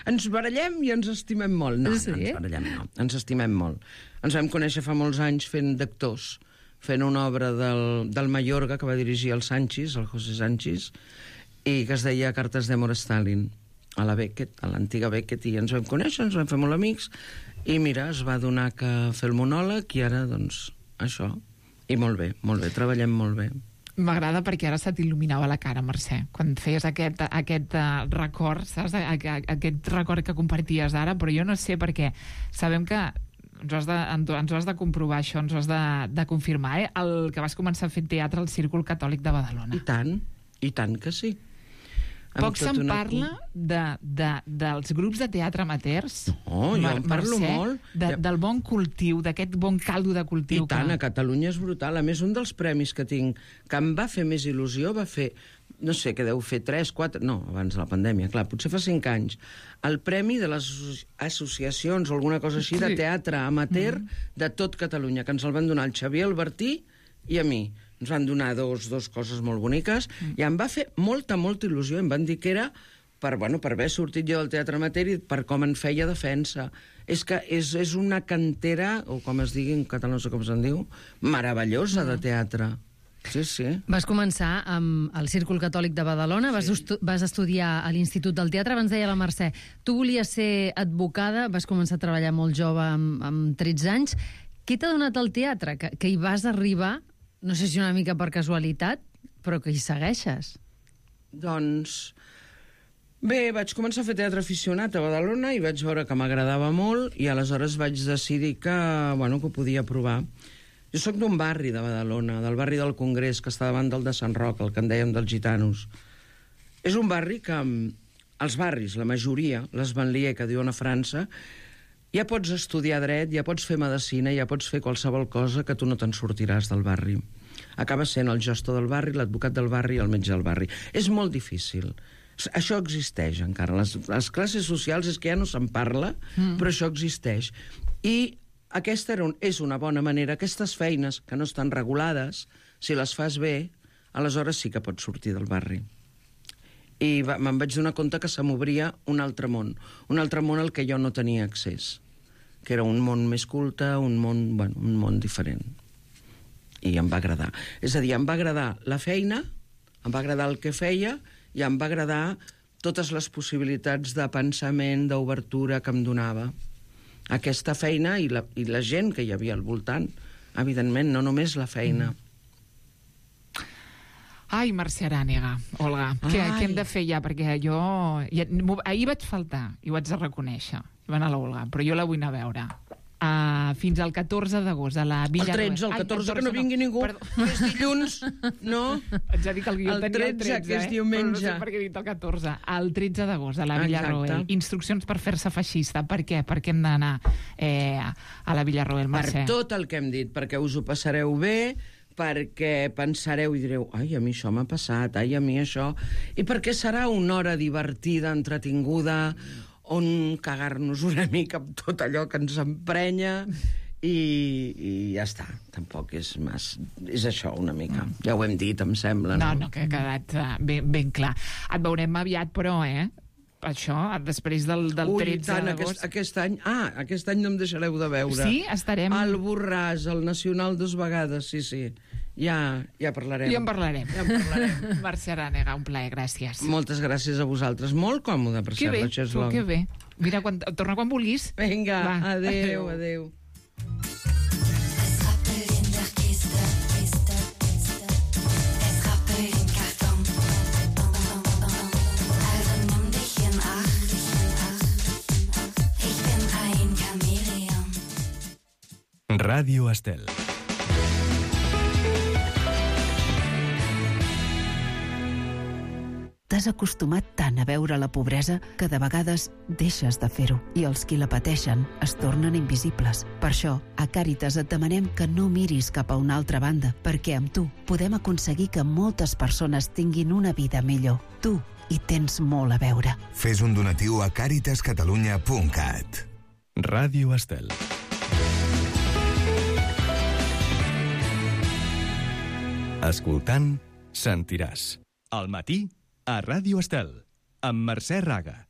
Ens barallem i ens estimem molt. No, Sí? no ens barallem, no. Ens estimem molt. Ens vam conèixer fa molts anys fent d'actors, fent una obra del, del Mayorga que va dirigir el Sanchis, el José Sanchis, i que es deia Cartes d'Amor a Stalin, a la Beckett, a l'antiga Beckett, i ens vam conèixer, ens vam fer molt amics, i mira, es va donar que fer el monòleg, i ara, doncs, això. I molt bé, molt bé, treballem molt bé. M'agrada perquè ara se t'il·luminava la cara, Mercè, quan feies aquest, aquest uh, record, saps? Aquest record que comparties ara, però jo no sé perquè sabem que ens ho has de, ens ho has de comprovar, això, ens ho has de, de confirmar, eh? El que vas començar a fer teatre al Círcul Catòlic de Badalona. I tant, i tant que sí. Poc se'n parla de, de, dels grups de teatre amateurs. No, jo en parlo Mercè, molt. De, del bon cultiu, d'aquest bon caldo de cultiu. I tant, que... a Catalunya és brutal. A més, un dels premis que tinc, que em va fer més il·lusió, va fer, no sé, que deu fer tres, quatre... No, abans de la pandèmia, clar, potser fa cinc anys. El premi de les associacions o alguna cosa així, sí, de teatre amateur mm. de tot Catalunya, que ens el van donar el Xavier Albertí i a mi. Ens van donar dos, dos coses molt boniques mm. i em va fer molta, molta il·lusió. Em van dir que era per, bueno, per haver sortit jo del teatre amateur i per com en feia defensa. És que és, és una cantera, o com es digui en català, no sé com se'n diu, meravellosa mm. de teatre. Sí, sí. Vas començar amb el Círcul Catòlic de Badalona, vas, sí. vas estudiar a l'Institut del Teatre, abans deia la Mercè. Tu volies ser advocada, vas començar a treballar molt jove, amb, amb tretze anys. Què t'ha donat el teatre? Que, que hi vas arribar, no sé si una mica per casualitat, però que hi segueixes. Doncs... Bé, vaig començar a fer teatre aficionat a Badalona i vaig veure que m'agradava molt i aleshores vaig decidir que, bueno, que ho podia provar. Jo sóc d'un barri de Badalona, del barri del Congrés, que està davant del de Sant Roc, el que en dèiem dels gitanos. És un barri que, els barris, la majoria, les banlieues que diuen a França, ja pots estudiar dret, ja pots fer medicina, ja pots fer qualsevol cosa que tu no te'n sortiràs del barri. Acabes sent el gestor del barri, l'advocat del barri i el metge del barri. És molt difícil. Això existeix encara. Les, les classes socials és que ja no se'n parla, mm. però això existeix. I aquesta era un, és una bona manera. Aquestes feines que no estan regulades, si les fas bé, aleshores sí que pots sortir del barri. I va, me'n vaig donar compte que se m'obria un altre món. Un altre món al que jo no tenia accés. Que era un món més culte, un món, bueno, un món diferent. I em va agradar. És a dir, em va agradar la feina, em va agradar el que feia, i em va agradar totes les possibilitats de pensament, d'obertura que em donava aquesta feina i la, i la gent que hi havia al voltant. Evidentment, no només la feina. Mm. Ai, Mercè Arànega, Olga, què, què hem de fer ja? Perquè jo... Ja, ahir vaig faltar, i ho haig de reconèixer. Hi va anar l'Olga, però jo la vull anar a veure. Uh, fins al catorze d'agost a la Villa... El tretze, el catorze, que no vingui ningú. Perdó. És dilluns, no? Ets a dir que el guió el tenia tretze, el tretze, que és eh? diumenge. Però no sé per què he dit el catorze. El tretze d'agost a la Villa Roel. Instruccions per fer-se feixista. Per què? Per què hem d'anar eh, a la Villa Roel, Mercè? Per tot el que hem dit, perquè us ho passareu bé, perquè pensareu i direu, ai, a mi això m'ha passat, ai, a mi això... I perquè serà una hora divertida, entretinguda, on cagar-nos una mica amb tot allò que ens emprenya i, i ja està. Tampoc és mas... És això, una mica. Mm. Ja ho hem dit, em sembla, no? No, no, que ha quedat uh, ben, ben clar. Et veurem aviat, però, eh? Això, després del, del Ui, tretze tant, d'agost... aquest, aquest any... Ah, aquest any no em deixareu de veure. Sí? Estarem... Al Borràs, al Nacional dos vegades, sí, sí. Ja, ja parlarem. Ja en parlarem. Ja en parlarem. Mercè Arànega, un plaer, gràcies. Moltes gràcies a vosaltres. Molt còmode, per que cert, bé, la Cheslong. Que bé, Mira, quan, torna quan vulguis. Vinga, Va, adéu, adéu. Ràdio Estel. T'has acostumat tant a veure la pobresa que de vegades deixes de fer-ho i els qui la pateixen es tornen invisibles. Per això, a Càritas et demanem que no miris cap a una altra banda, perquè amb tu podem aconseguir que moltes persones tinguin una vida millor. Tu hi tens molt a veure. Fes un donatiu a càritas catalunya punt cat. Ràdio Estel. Escoltant, sentiràs. Al matí, a Ràdio Estel, amb Mercè Raga.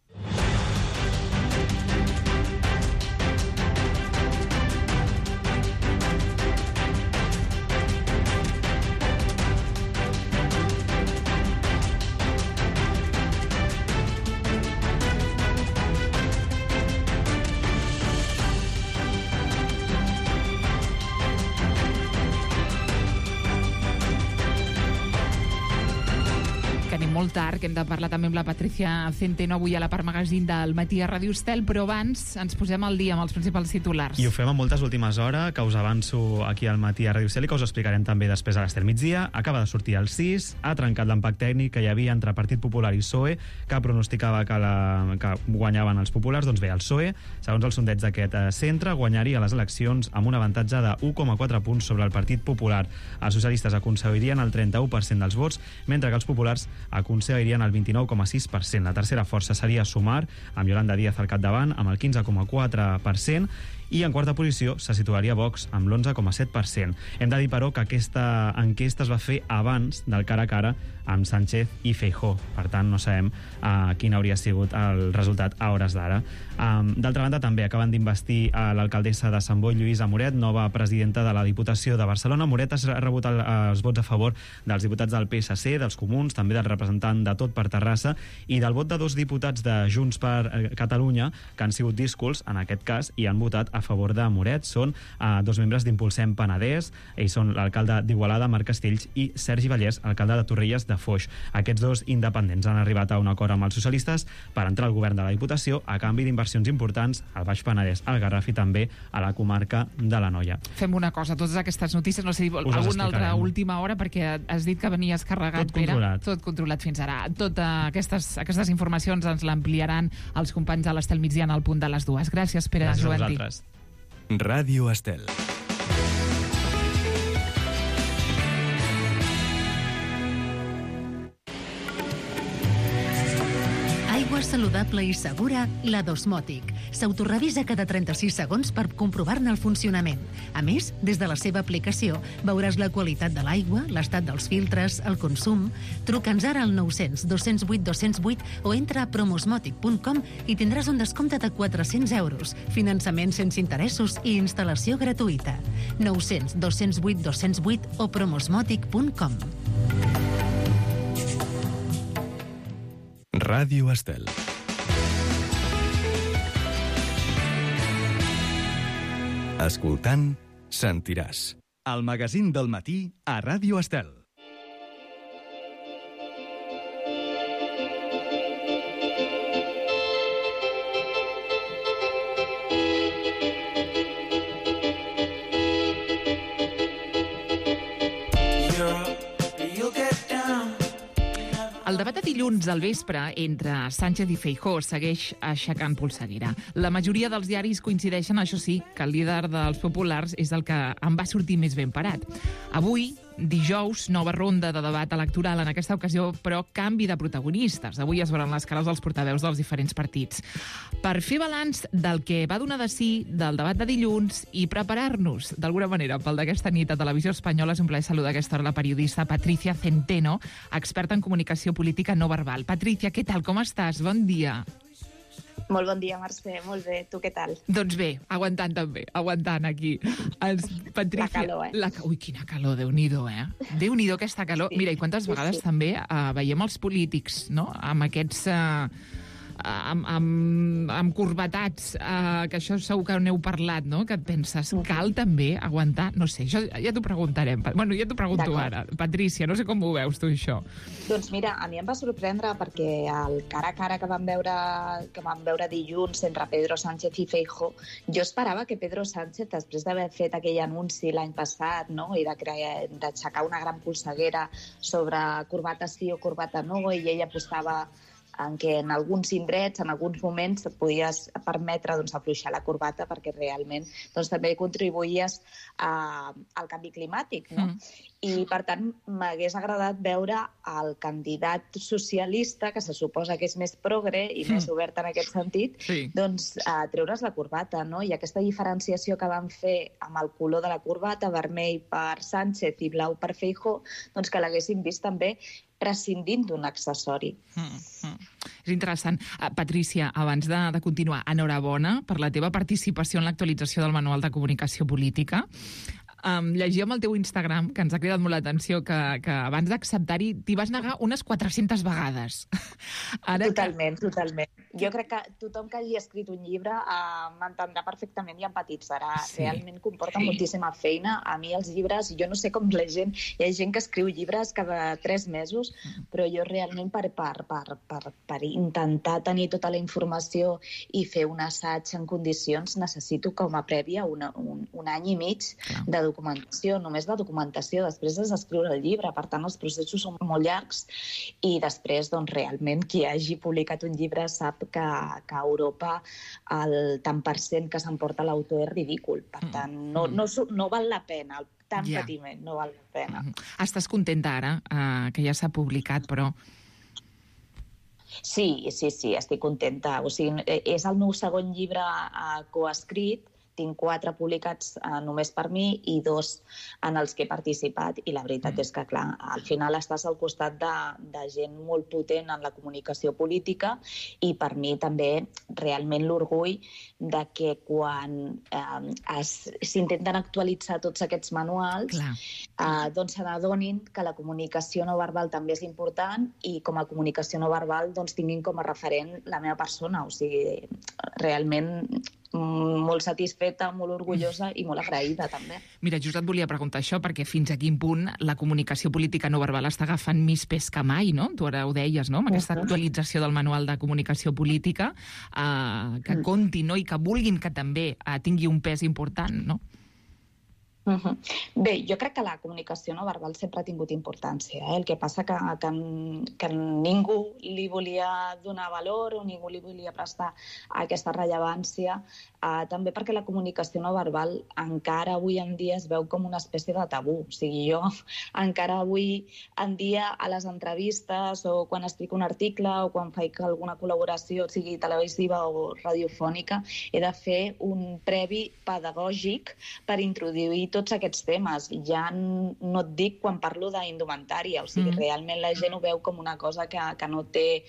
Molt tard, que hem de parlar també amb la Patricia Centeno avui a la part magazín del matí a Ràdio Estel, però abans ens posem al dia amb els principals titulars. I ho fem a moltes últimes hores, que us avanço aquí al matí a Ràdio Estel i que us explicarem també després a l'Estel migdia. Acaba de sortir el sis, ha trencat l'empat tècnic que hi havia entre Partit Popular i P S O E, que pronosticava que, la, que guanyaven els populars. Doncs bé, el P S O E, segons el sondeig d'aquest centre, guanyaria les eleccions amb un avantatge de u coma quatre punts sobre el Partit Popular. Els socialistes aconseguirien el trenta-u per cent dels vots, mentre que els populars aconseguirien el vint-i-nou coma sis per cent. La tercera força seria Sumar, amb Yolanda Díaz al capdavant, amb el quinze coma quatre per cent, i en quarta posició se situaria Vox amb l'onze coma set per cent. Hem de dir, però, que aquesta enquesta es va fer abans del cara a cara amb Sánchez i Feijóo. Per tant, no sabem uh, quin hauria sigut el resultat a hores d'ara. Um, D'altra banda, també acaben d'investir a l'alcaldessa de Sant Boi, Lluïsa Moret, nova presidenta de la Diputació de Barcelona. Moret ha rebut el, els vots a favor dels diputats del P S C, dels Comuns, també del representant de Tot per Terrassa i del vot de dos diputats de Junts per Catalunya, que han sigut díscols, en aquest cas, i han votat a favor de Moret. Són uh, dos membres d'Impulsem Penedès. Ells són l'alcalde d'Igualada, Marc Castells, i Sergi Vallès, alcalde de Torrelles de Foix. Aquests dos independents han arribat a un acord amb els socialistes per entrar al govern de la Diputació a canvi d'inversions importants al Baix Penedès, al Garraf i també a la comarca de l'Anoia. Fem una cosa, totes aquestes notícies, no sé si alguna altra última hora, perquè has dit que venies carregat, Tot controlat. Pere. Tot controlat fins ara. Totes aquestes, aquestes informacions ens l'ampliaran els companys de l'Estel migdia en el punt de les dues. Gràcies, Pere Gràcies Joventí. a vosaltres. Ràdio Estel. Aigua saludable i segura, la d'Osmòtic. S'autorevisa cada trenta-sis segons per comprovar-ne el funcionament. A més, des de la seva aplicació veuràs la qualitat de l'aigua, l'estat dels filtres, el consum. Truca'ns ara al nou cents dos cents vuit dos cents vuit o entra a promosmòtic punt com i tindràs un descompte de quatre-cents euros, finançament sense interessos i instal·lació gratuïta. nou cents dos cents vuit dos cents vuit o promosmòtic punt com. Ràdio Estel. Escoltant, sentiràs. El magazín del matí a Ràdio Estel. El debat de dilluns al vespre entre Sánchez i Feijóo segueix aixecant polseguera. La majoria dels diaris coincideixen, això sí, que el líder dels populars és el que en va sortir més ben parat. Avui dijous, nova ronda de debat electoral en aquesta ocasió, però canvi de protagonistes. Avui es veuran les cares dels portaveus dels diferents partits. Per fer balanç del que va donar de sí, del debat de dilluns, i preparar-nos, d'alguna manera, pel d'aquesta nit a Televisió Espanyola, és un plaer saludar a aquesta hora la periodista Patricia Centeno, experta en comunicació política no verbal. Patricia, què tal? Com estàs? Bon dia. Molt bon dia, Mercè. Molt bé. Tu què tal? Doncs bé, aguantant també, aguantant aquí. Els, Patricia, la calor, eh? La, ui, quina calor, Déu-n'hi-do, eh? Déu-n'hi-do aquesta calor. Sí. Mira, i quantes sí, vegades sí. també uh, veiem els polítics, no?, amb aquests... Uh, amb, amb, amb corbatats, uh, que això segur que n'heu parlat, no?, que et penses, cal també aguantar... No sé, això ja t'ho preguntarem. Bueno, ja t'ho pregunto ara. Patricia, no sé com ho veus tu, això. Doncs mira, a mi em va sorprendre perquè el cara a cara que vam veure, que vam veure dilluns entre Pedro Sánchez i Feijóo, jo esperava que Pedro Sánchez, després d'haver fet aquell anunci l'any passat, no?, i d'aixecar una gran polseguera sobre corbata sí o corbata no, i ell apostava en què en alguns indrets, en alguns moments, et podies permetre doncs, afluixar la corbata perquè realment doncs, també contribuïes a, al canvi climàtic. No? Mm. I, per tant, m'hagués agradat veure el candidat socialista, que se suposa que és més progre i mm. més obert en aquest sentit, sí. doncs a treure's la corbata. No? I aquesta diferenciació que van fer amb el color de la corbata, vermell per Sánchez i blau per Feijóo, doncs que l'haguessin vist també prescindint d'un accessori. Mm, mm. És interessant. Uh, Patricia, abans de, de continuar, enhorabona per la teva participació en l'actualització del Manual de Comunicació Política. Um, llegíem el teu Instagram, que ens ha cridat molt l'atenció, que, que abans d'acceptar-hi t'hi vas negar unes quatre-centes vegades. Ara totalment, que... totalment. Jo crec que tothom que hagi escrit un llibre uh, m'entendrà perfectament i empatitzarà. Sí. Realment comporta sí. moltíssima feina. A mi els llibres, jo no sé com la gent, hi ha gent que escriu llibres cada tres mesos, però jo realment per, per, per, per, per intentar tenir tota la informació i fer un assaig en condicions necessito com a prèvia una, un, un any i mig Clar. de documentació, només de documentació. Després has d'escriure el llibre, per tant els processos són molt llargs i després doncs, realment qui hagi publicat un llibre sap que, que a Europa el tant per cent que s'emporta l'autor és ridícul. Per tant, no, no, no val la pena, el tant yeah. patiment no val la pena. Mm-hmm. Estàs contenta ara, uh, que ja s'ha publicat, però... Sí, sí, sí, estic contenta. O sigui, és el meu segon llibre uh, coescrit, tinc quatre publicats eh, només per mi i dos en els que he participat i la veritat mm. és que, clar, al final estàs al costat de, de gent molt potent en la comunicació política i per mi també realment l'orgull de que quan eh, s'intenten actualitzar tots aquests manuals eh, doncs se n'adonin que la comunicació no verbal també és important i com a comunicació no verbal doncs tinguin com a referent la meva persona. O sigui, realment molt satisfeta, molt orgullosa i molt agraïda, també. Mira, just et volia preguntar això, perquè fins a quin punt la comunicació política no verbal està agafant més pes que mai, no? Tu ara ho deies, no?, amb aquesta actualització del Manual de Comunicació Política, eh, que compti, no?, i que vulguin que també eh, tingui un pes important, no? Uh-huh. Bé, jo crec que la comunicació no verbal sempre ha tingut importància. Eh? El que passa que, que, que ningú li volia donar valor o ningú li volia prestar aquesta rellevància, eh, també perquè la comunicació no verbal encara avui en dia es veu com una espècie de tabú. O sigui, jo encara avui en dia a les entrevistes o quan escric un article o quan faig alguna col·laboració, sigui televisiva o radiofònica, he de fer un previ pedagògic per introduir tots aquests temes. Ja no et dic quan parlo d'indumentària, o sigui, mm. realment la gent ho veu com una cosa que, que, no té,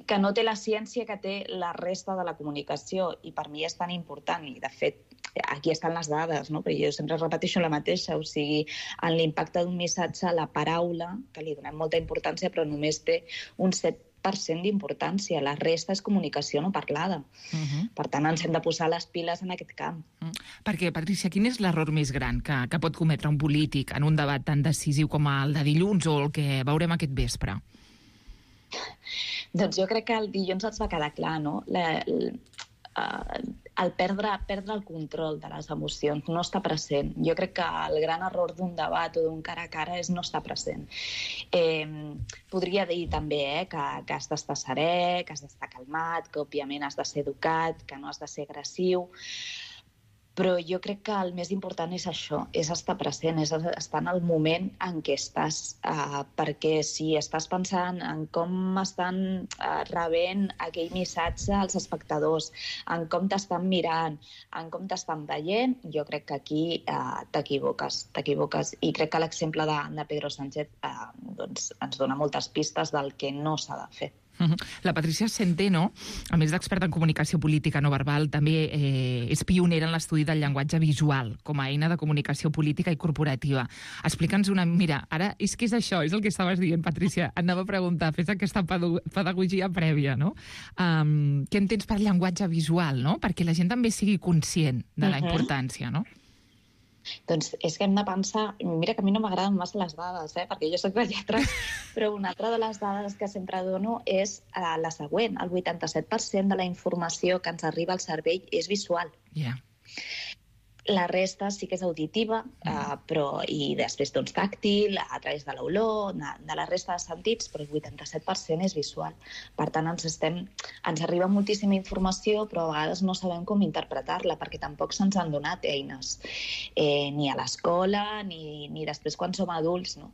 que no té la ciència que té la resta de la comunicació i per mi és tan important i, de fet, aquí estan les dades, no? Però jo sempre repeteixo la mateixa, o sigui, en l'impacte d'un missatge, la paraula, que li donem molta importància, però només té un set per cent d'importància. La resta és comunicació no parlada. Uh-huh. Per tant, ens hem de posar les piles en aquest camp. Uh-huh. Perquè, Patricia, quin és l'error més gran que, que pot cometre un polític en un debat tan decisiu com el de dilluns o el que veurem aquest vespre? Doncs jo crec que el dilluns ens va quedar clar, no? La, el, el perdre, perdre el control de les emocions, no estar present. Jo crec que el gran error d'un debat o d'un cara a cara és no estar present. Eh, podria dir també eh, que, que has d'estar serè, que has d'estar calmat, que òbviament has de ser educat, que no has de ser agressiu, Però jo crec que el més important és això, és estar present, és estar en el moment en què estàs, uh, perquè si estàs pensant en com estan uh, rebent aquell missatge als espectadors, en com t'estan mirant, en com t'estan veient, jo crec que aquí uh, t'equivoques, t'equivoques. I crec que l'exemple de, de Pedro Sánchez uh, doncs, ens dona moltes pistes del que no s'ha de fer. La Patricia Centeno, a més d'experta en comunicació política no verbal, també eh, és pionera en l'estudi del llenguatge visual com a eina de comunicació política i corporativa. Explica'ns una... Mira, ara és que és això, és el que estaves dient, Patricia. Anava a preguntar, fes aquesta pedagogia prèvia, no? Um, què entens per llenguatge visual, no? Perquè la gent també sigui conscient de la importància, no? Doncs és que hem de pensar... Mira que a mi no m'agraden massa les dades, eh? perquè jo soc de lletres, però una altra de les dades que sempre dono és uh, la següent. El vuitanta-set per cent de la informació que ens arriba al cervell és visual. Yeah. La resta sí que és auditiva, uh, però, i després doncs, tàctil, a través de l'olor, de, de la resta de sentits, però el vuitanta-set per cent és visual. Per tant, ens, estem, ens arriba moltíssima informació, però a vegades no sabem com interpretar-la, perquè tampoc se'ns han donat eines, eh, ni a l'escola, ni, ni després quan som adults. No?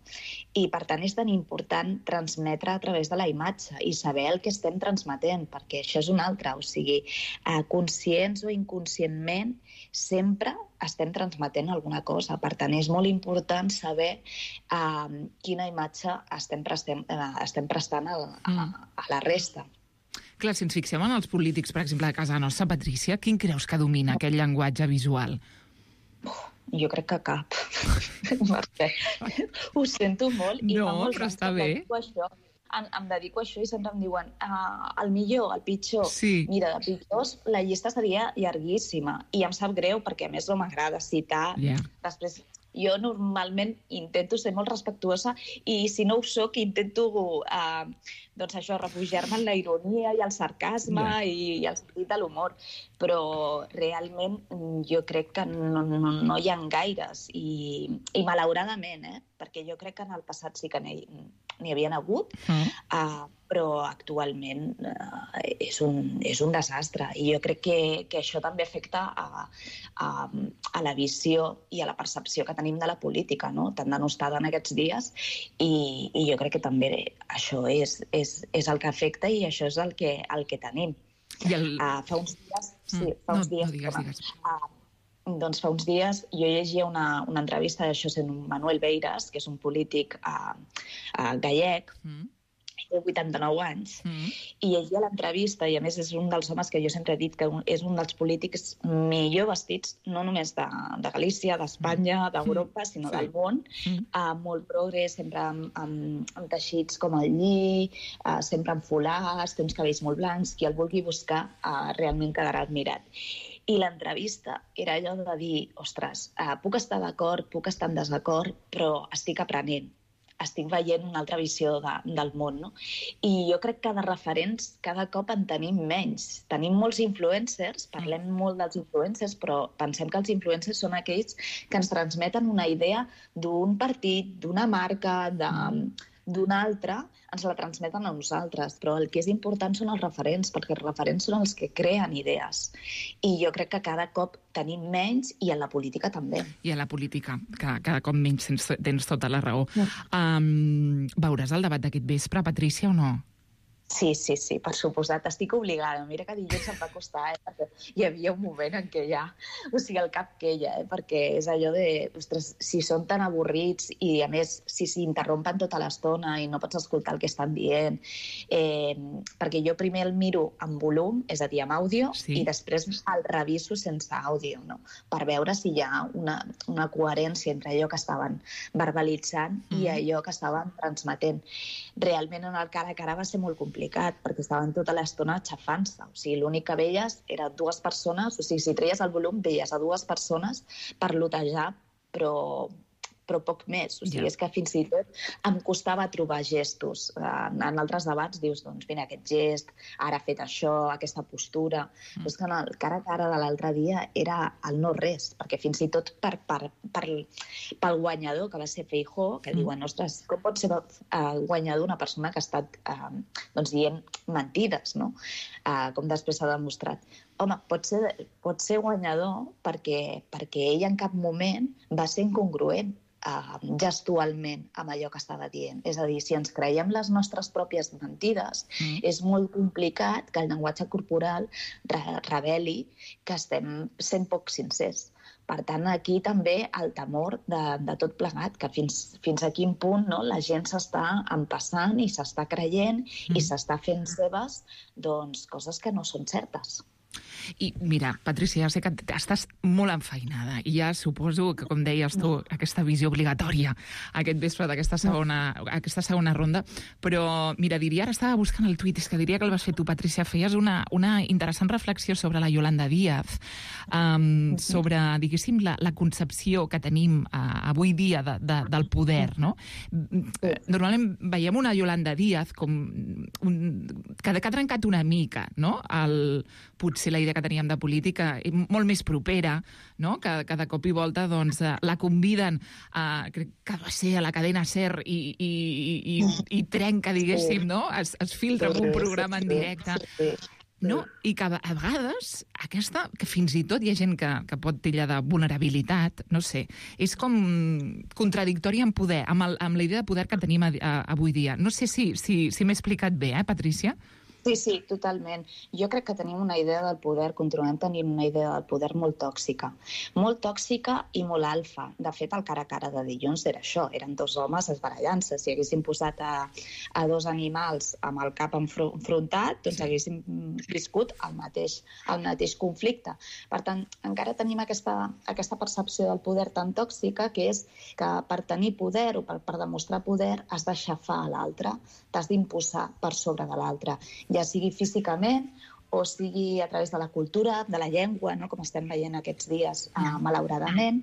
I per tant és tan important transmetre a través de la imatge i saber el que estem transmetent, perquè això és un altre. O sigui, eh, conscients o inconscientment, sempre estem transmetent alguna cosa. Per tant, és molt important saber uh, quina imatge estem prestant, uh, estem prestant a, a, a la resta. Clar, si ens fixem en els polítics, per exemple, de casa nostra, Patricia, quin creus que domina aquest llenguatge visual? Jo crec que cap. Ho sento molt. I no, però està bé. Això. Em, em dedico a això i sempre em diuen uh, el millor, el pitjor. Sí. Mira, de pitjors la llista seria llarguíssima i em sap greu perquè a més no m'agrada citar. Yeah. Després jo normalment intento ser molt respectuosa i si no ho soc intento uh, doncs això, refugiar-me en la ironia i el sarcasme yeah. i, i el sentit de l'humor. Però realment jo crec que no, no, no hi ha gaires i, i malauradament, eh? Perquè jo crec que en el passat sí que n'hi, n'hi havien hagut, mm. uh, però actualment uh, és, un, és un desastre. I jo crec que, que això també afecta a, a, a la visió i a la percepció que tenim de la política, no? Tan denostada en aquests dies, i, i jo crec que també això és, és, és el que afecta i això és el que, el que tenim. I el... uh, fa uns dies... Sí, mm. fa uns no, dies... No digues, digues. Uh, Doncs fa uns dies jo llegia una, una entrevista de José Manuel Beiras, que és un polític uh, uh, gallec, mm. té vuitanta-nou anys, mm. i llegia l'entrevista, i a més és un dels homes que jo sempre he dit que és un dels polítics millor vestits, no només de, de Galícia, d'Espanya, d'Europa, mm. sinó sí. del món, mm. uh, molt progre, sempre amb, amb, amb teixits com el lli, uh, sempre amb folars, té uns cabells molt blancs, qui el vulgui buscar uh, realment quedarà admirat. I l'entrevista era allò de dir, ostres, uh, puc estar d'acord, puc estar en desacord, però estic aprenent, estic veient una altra visió de, del món, no? I jo crec que de referents cada cop en tenim menys. Tenim molts influencers, parlem molt dels influencers, però pensem que els influencers són aquells que ens transmeten una idea d'un partit, d'una marca, de... d'una altra, ens la transmeten a nosaltres. Però el que és important són els referents, perquè els referents són els que creen idees. I jo crec que cada cop tenim menys, i en la política també. I a la política, que cada cop menys tens, tens tota la raó. No. Um, veuràs el debat d'aquest vespre, Patricia, o no? Sí, sí, sí, per suposat. Estic obligada. Mira que dilluns em va costar, eh? Perquè hi havia un moment en què ja... O sigui, el cap queia, eh? Perquè és allò de... Ostres, si són tan avorrits i, a més, si s'interrompen tota l'estona i no pots escoltar el que estan dient... Eh, perquè jo primer el miro amb volum, és a dir, amb àudio, sí. i després el reviso sense àudio, no? Per veure si hi ha una, una coherència entre allò que estaven verbalitzant mm. i allò que estaven transmetent. Realment, en el cara a cara va ser molt complicat, perquè estaven tota l'estona xafant-se. O sigui, l'únic que veies eren dues persones, o sigui, si treies el volum, veies a dues persones parlotejar, però, però poc més. O sigui, yeah. és que fins i tot em costava trobar gestos. En, en altres debats dius, doncs, mira, aquest gest, ara ha fet això, aquesta postura... Mm. Però és que en el cara a cara de l'altre dia era el no res, perquè fins i tot per, per, per, pel guanyador, que va ser Feijóo, que mm. diuen, ostres, com pot ser uh, guanyador una persona que ha estat uh, doncs, dient mentides, no? Uh, com després s'ha demostrat. home, pot ser, pot ser guanyador perquè, perquè ell en cap moment va ser incongruent uh, gestualment amb allò que estava dient. És a dir, si ens creiem les nostres pròpies mentides, mm. és molt complicat que el llenguatge corporal re reveli que estem sent poc sincers. Per tant, aquí també el temor de, de tot plegat, que fins, fins a quin punt no, la gent s'està empassant i s'està creient mm. i s'està fent seves doncs, coses que no són certes. I mira, Patrícia, ja sé que estàs molt enfeinada i ja suposo que, com deies tu, aquesta visió obligatòria aquest vespre d'aquesta segona, aquesta segona ronda, però mira, diria, ara estava buscant el tuit, és que diria que el vas fer tu, Patrícia, feies una, una interessant reflexió sobre la Yolanda Díaz, um, sobre, diguéssim, la, la concepció que tenim uh, avui dia de, de, del poder, no? Normalment veiem una Yolanda Díaz com un, que, que ha trencat una mica, no?, el, potser la idea que teníem de política molt més propera, no?, que, que de cop i volta doncs, la conviden a, crec que va ser a la cadena SER i, i, i, i trenca, diguéssim, no?, es, es filtra en un programa en directe. No? I que a vegades aquesta, que fins i tot hi ha gent que, que pot tillar de vulnerabilitat, no sé, és com contradictòria en poder, amb, el, amb la idea de poder que tenim a, a, avui dia. No sé si, si, si m'he explicat bé, eh, Patrícia? Sí, sí, totalment. Jo crec que tenim una idea del poder, continuem tenint una idea del poder molt tòxica. Molt tòxica i molt alfa. De fet, el cara a cara de dilluns era això. Eren dos homes esbarallant-se. Si haguéssim posat a, a dos animals amb el cap enfrontat, doncs haguéssim viscut el mateix, el mateix conflicte. Per tant, encara tenim aquesta, aquesta percepció del poder tan tòxica que és que per tenir poder o per, per demostrar poder has d'aixafar a l'altre, t'has d'imposar per sobre de l'altre, ja sigui físicament o sigui a través de la cultura, de la llengua, no? Com estem veient aquests dies, eh, malauradament.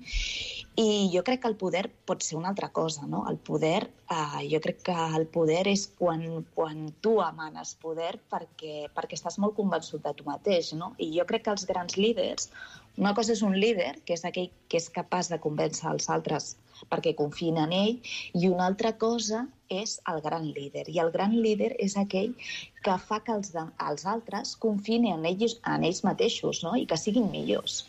I jo crec que el poder pot ser una altra cosa, no? El poder, eh, jo crec que el poder és quan, quan tu emanes poder perquè, perquè estàs molt convençut de tu mateix, no? I jo crec que els grans líders, una cosa és un líder, que és aquell que és capaç de convèncer els altres perquè confien en ell, i una altra cosa és el gran líder. I el gran líder és aquell que fa que els, els altres confien en ells, en ells mateixos, no? I que siguin millors.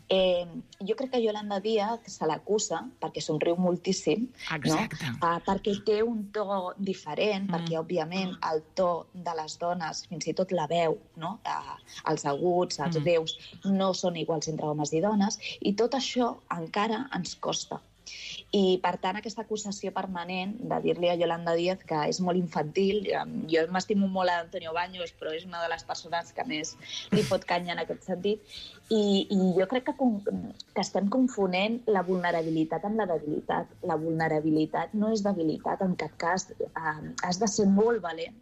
Eh, jo crec que Yolanda Díaz se l'acusa perquè somriu moltíssim, no? Uh, perquè té un to diferent, mm. perquè, òbviament, el to de les dones, fins i tot la veu, no? Uh, els aguts, els mm. greus, no són iguals entre homes i dones, i tot això encara ens costa. I, per tant, aquesta acusació permanent de dir-li a Yolanda Díaz que és molt infantil. Jo m'estimo molt a Antonio Baños, però és una de les persones que més li fot canya en aquest sentit. I, i jo crec que, que estem confonent la vulnerabilitat amb la debilitat. La vulnerabilitat no és debilitat, en cap cas. Eh, has de ser molt valent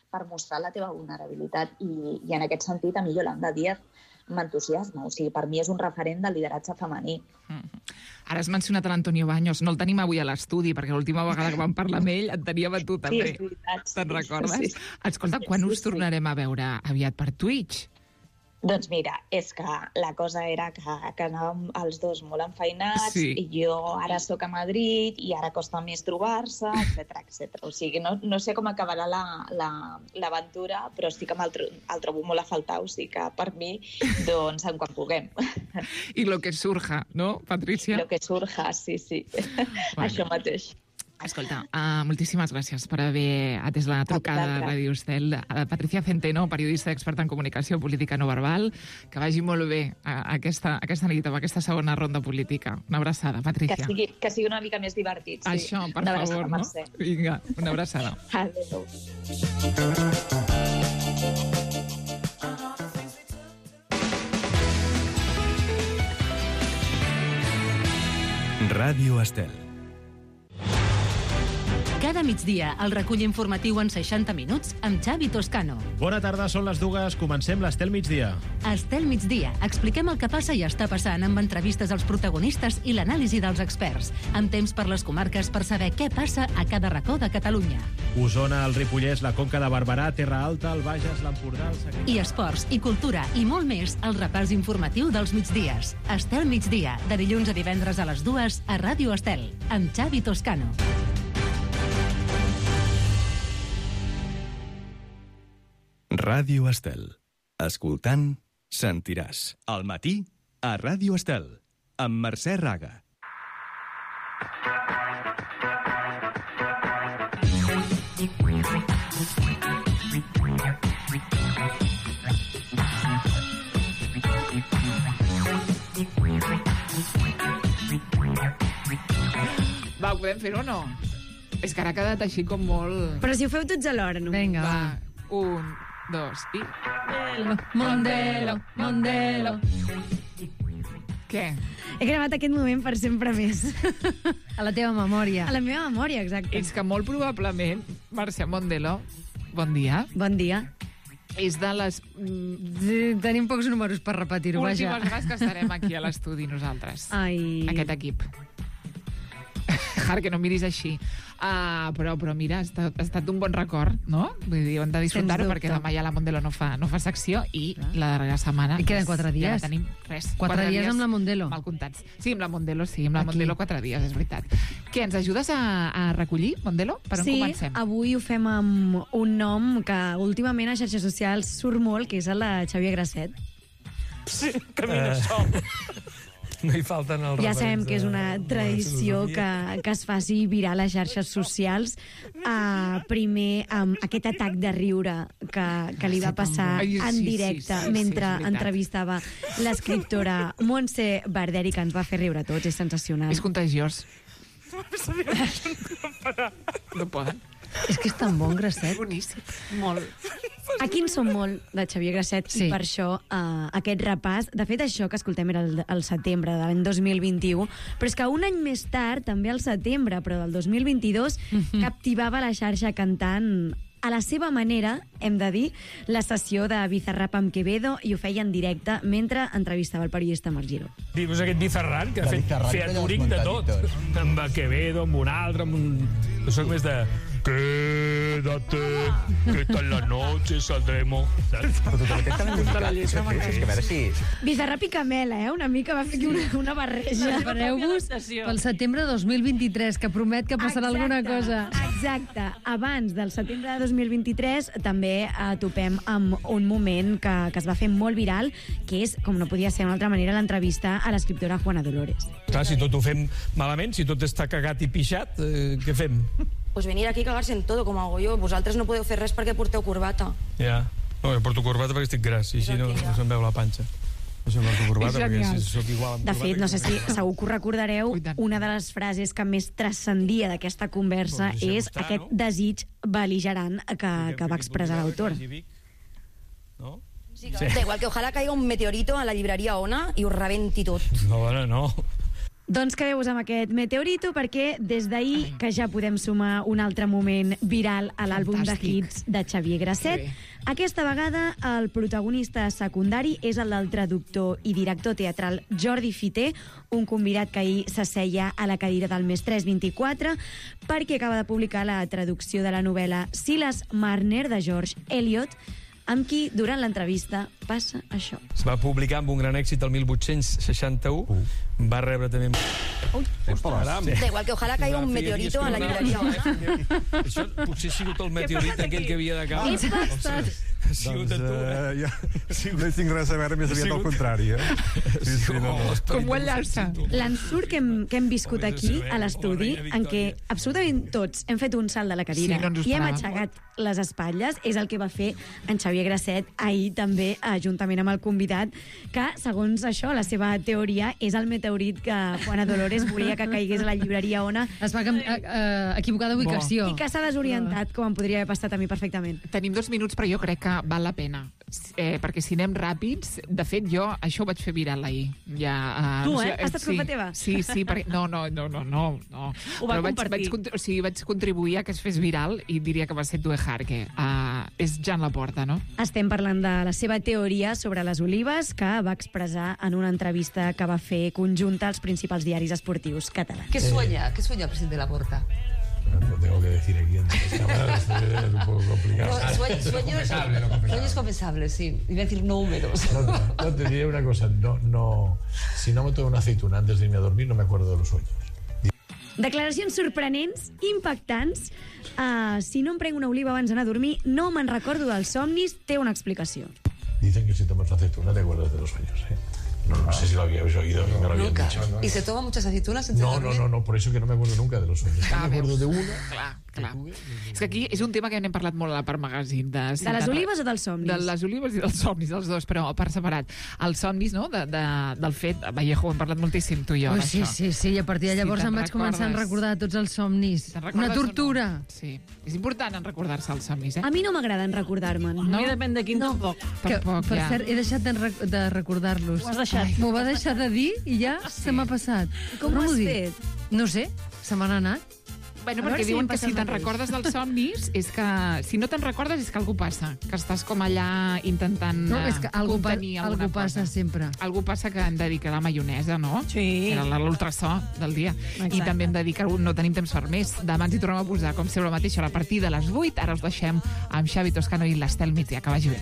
per mostrar la teva vulnerabilitat. I, i en aquest sentit, a mi Yolanda Díaz m'entusiasma. O sigui, per mi és un referent de lideratge femení. Mm-hmm. Ara has mencionat l'Antonio Baños. No el tenim avui a l'estudi, perquè l'última vegada que vam parlar amb ell et teníem a tu, també. Sí, és veritat. Te'n recordes? Sí. Escolta, quan us tornarem a veure aviat per Twitch? Doncs mira, és que la cosa era que, que anàvem els dos molt enfeinats, sí. I jo ara sóc a Madrid i ara costa més trobar-se, etcètera, etcètera. O sigui, no, no sé com acabarà l'aventura, la, la, però sí que el, el trobo molt a faltar, o sigui que per mi, doncs, en quan puguem. I lo que surja, no, Patrícia? Lo que surja, sí, sí. Bueno. Això mateix. Escolta, uh, moltíssimes gràcies per haver atès la trucada a Ràdio Estel. A Patricia Centeno, periodista experta en comunicació política no verbal, que vagi molt bé uh, aquesta, aquesta nit amb aquesta segona ronda política. Una abraçada, Patricia. Que sigui, que sigui una mica més divertit, sí. Això, per una favor, no? Mercè. Vinga, una abraçada. Adéu. Ràdio Estel. Cada migdia, el recull informatiu en seixanta minuts amb Xavi Toscano. Bona tarda, són les dues. Comencem l'Estel Migdia. Estel Migdia. Expliquem el que passa i està passant amb entrevistes als protagonistes i l'anàlisi dels experts. Amb temps per les comarques per saber què passa a cada racó de Catalunya. Osona, el Ripollès, la Conca de Barberà, Terra Alta, el Bages, l'Empordà, el Segrià... I esports, i cultura, i molt més, el repàs informatiu dels migdies. Estel Migdia, de dilluns a divendres a les dues a Ràdio Estel, amb Xavi Toscano. Ràdio Estel. Escoltant sentiràs. Al matí, a Ràdio Estel, amb Mercè Raga. Va, ho podem fer o no? És que ara ha quedat així com molt... Però si ho feu tots alhora, no? Vinga, va. Va, un, dos i... Mondelo, Mondelo. Què? He gravat aquest moment per sempre més. A la teva memòria. A la meva memòria, exacte. És que molt probablement, Mercè Mondelo, bon dia. Bon dia. És de les... Sí, tenim pocs números per repetir-ho, vaja. Últimes vegades que estarem aquí a l'estudi nosaltres. Ai. Aquest equip. Har, que no miris així. Uh, però, però mira, ha estat, ha estat un bon record, no? Vull dir, hem de disfrutar-ho perquè demà ja la Mondelo no fa, no fa secció i la darrera setmana... I queden quatre dies. Ja no tenim res. Quatre, quatre dies, dies amb la Mondelo. Mal comptats. Sí, amb la Mondelo, sí, amb la Aquí. Mondelo quatre dies, és veritat. Què, ens ajudes a, a recollir, Mondelo? Per on sí, comencem? avui ho fem amb un nom que últimament a xarxes socials surt molt, que és el de Xavier Grasset. Sí, que mira uh... això. No hi falten els Ja sabem que és una tradició que, que es faci viral a les xarxes socials. Uh, primer, amb aquest atac de riure que, que li va passar Ai, sí, en sí, directe sí, sí, mentre sí, és entrevistava l'escriptora Montse Barderi, que ens va fer riure a tots. És sensacional. És contagiós. No poden. És que és tan bon, Grasset. Boníssim. Molt. Aquí en som molt, de Xavier Grasset, sí. I per això uh, aquest repàs... De fet, això que escoltem era el, el setembre de l'any dos mil vint-i-u, però és que un any més tard, també al setembre, però del dos mil vint-i-dos, mm-hmm. captivava la xarxa cantant a la seva manera, hem de dir, la sessió de Bizarrap amb Quevedo, i ho feia en directe mentre entrevistava el periodista Marc Giró. Dius aquest Bizarrap, que ha fet featuring de tot. Amb Quevedo, amb un altre, amb un... Jo soc més de... Quédate, que esta en la noche saldremos. Saps? Però totalment tan musicat. És que a veure si... Bizarrap i Camela, eh? Una mica va fer aquí una, una barreja. Prepareu-vos pel setembre dos mil vint-i-tres, que promet que passarà exacte, alguna cosa. Exacte. Abans del setembre de dos mil vint-i-tres també eh, topem amb un moment que, que es va fer molt viral, que és, com no podia ser d'una altra manera, l'entrevista a l'escriptora Juana Dolores. Clar, si tot ho fem malament, si tot està cagat i pixat, eh, què fem? Pues venir aquí a cagar-se en todo, com hago yo. Vosaltres no podeu fer res perquè porteu corbata. Ja. No, jo porto corbata perquè estic gras, i així no, no se'm veu la panxa. Això porto corbata perquè si soc igual amb de corbata... fet, no sé si segur que ho recordareu, una de les frases que més transcendia d'aquesta conversa Doncs és estar, aquest no? desig bel·ligerant que, que va expressar l'autor. No? Sí, sí. Da igual que ojalà caiga un meteorito a la llibreria Ona i ho rebenti tot. No, bueno, no. Doncs quedeu-vos amb aquest meteorito, perquè des d'ahir que ja podem sumar un altre moment viral a l'àlbum de hits de Xavier Grasset. Sí. Aquesta vegada el protagonista secundari és el del traductor i director teatral Jordi Fiter, un convidat que ahir s'asseia a la cadira del Més tres vint-i-quatre perquè acaba de publicar la traducció de la novel·la Silas Marner de George Eliot, amb qui, durant l'entrevista, passa això. Es va publicar amb un gran èxit el mil vuit-cents seixanta-u. Uh. Va rebre també... Ui, da igual que ojalà caiga un meteorito a la llibreria Ona. Això potser ha sigut el meteorit aquell que havia de caure. Què passa? Ha sigut doncs, tu, eh? Uh, ja, no hi tinc res a veure, més aviat al contrari, eh? Sí, sí, no, no. Com ho enllaça? L'ensurt que, hem, que hem viscut aquí, a l'estudi, en què absolutament tots hem fet un salt de la cadira Sí, no ens ho i hem esperàvem. aixecat les espatlles, és el que va fer en Xavier Grasset ahir també, juntament amb el convidat, que, segons això, la seva teoria, és el meteorit que Juana Dolores volia que caigués a la llibreria Ona. Es va uh, uh, equivocar d'ubicació. I que s'ha desorientat, com em podria haver passat a mi perfectament. Tenim dos minuts, però jo crec que val la pena. Eh, perquè si anem ràpids, de fet, jo això ho vaig fer viral ahir. Ja, uh, tu, no eh? sé, Ha estat sí, culpa teva? Sí, sí, perquè... No, no, no, no, no. no. Ho va Però vaig, compartir. vaig, o sigui, vaig contribuir a que es fes viral i diria que va ser tu, Harke. Uh, és Jan Laporta, no? Estem parlant de la seva teoria sobre les olives que va expressar en una entrevista que va fer conjunta als principals diaris esportius catalans. ¿Qué sueña? ¿Qué sueña el presidente Laporta? Lo tengo que decir aquí en las cámaras, es un poco complicado. No, sueños, sueños, sueños confesables, sí. Iba a decir no húmedos. No, no, no, te diré una cosa, no, no, si no me tomo una aceituna antes de irme a dormir, no me acuerdo de los sueños. Declaracions sorprenents, impactants. Uh, si no em prenc una oliva abans d'anar a dormir, no me'n recordo dels somnis, té una explicació. Dicen que si tomas aceituna te acuerdas de los sueños, ¿eh? No, no sé si lo habíais oído, no, me lo habían Nunca. dicho. ¿Y se toma muchas aceitunas antes No, de no, dormir? no, no, por eso que no me acuerdo nunca de los sueños. Clar, me acuerdo veus? de una. Clar, clar. És que aquí és un tema que n'hem parlat molt a la part magazine. De, De les olives o dels somnis? De les olives i dels somnis, els dos, però per separat. Els somnis, no?, de, de, del fet... Vallejo, hem parlat moltíssim, tu i jo, Oh, d'això. sí, sí, sí, i a partir de llavors Si em te'n vaig començar a recordes. recordar tots els somnis. Te'n Una recordes o no? tortura. Sí. És important en recordar-se els somnis, eh? A mi no m'agraden recordar-me'n. No? depèn de quin, no. tampoc. Que, Tampoc, per ja. cert, he deixat de, rec de recordar-los. Ho has deixat. M'ho va deixar de dir i ja se m'ha passat. Com Però ho has m'ho dic. fet? No sé, se m'han anat. Bueno, A veure perquè si diuen em que passa si el te'n mateix. recordes dels somnis és que... Si no te'n recordes és que algú passa, que estàs com allà intentant No, eh, és que algú, pa contenir alguna algú passa cosa. sempre. Algú passa que hem de dir que la maionesa, no? Sí. Era l'ultrasó del dia. Exacte. I també hem de dir que no tenim temps per més. Demà ens hi tornem a posar, com sempre mateix, a la partida a les vuit. Ara us deixem amb Xavi Toscano i l'Estel Migdia. Que vagi bé.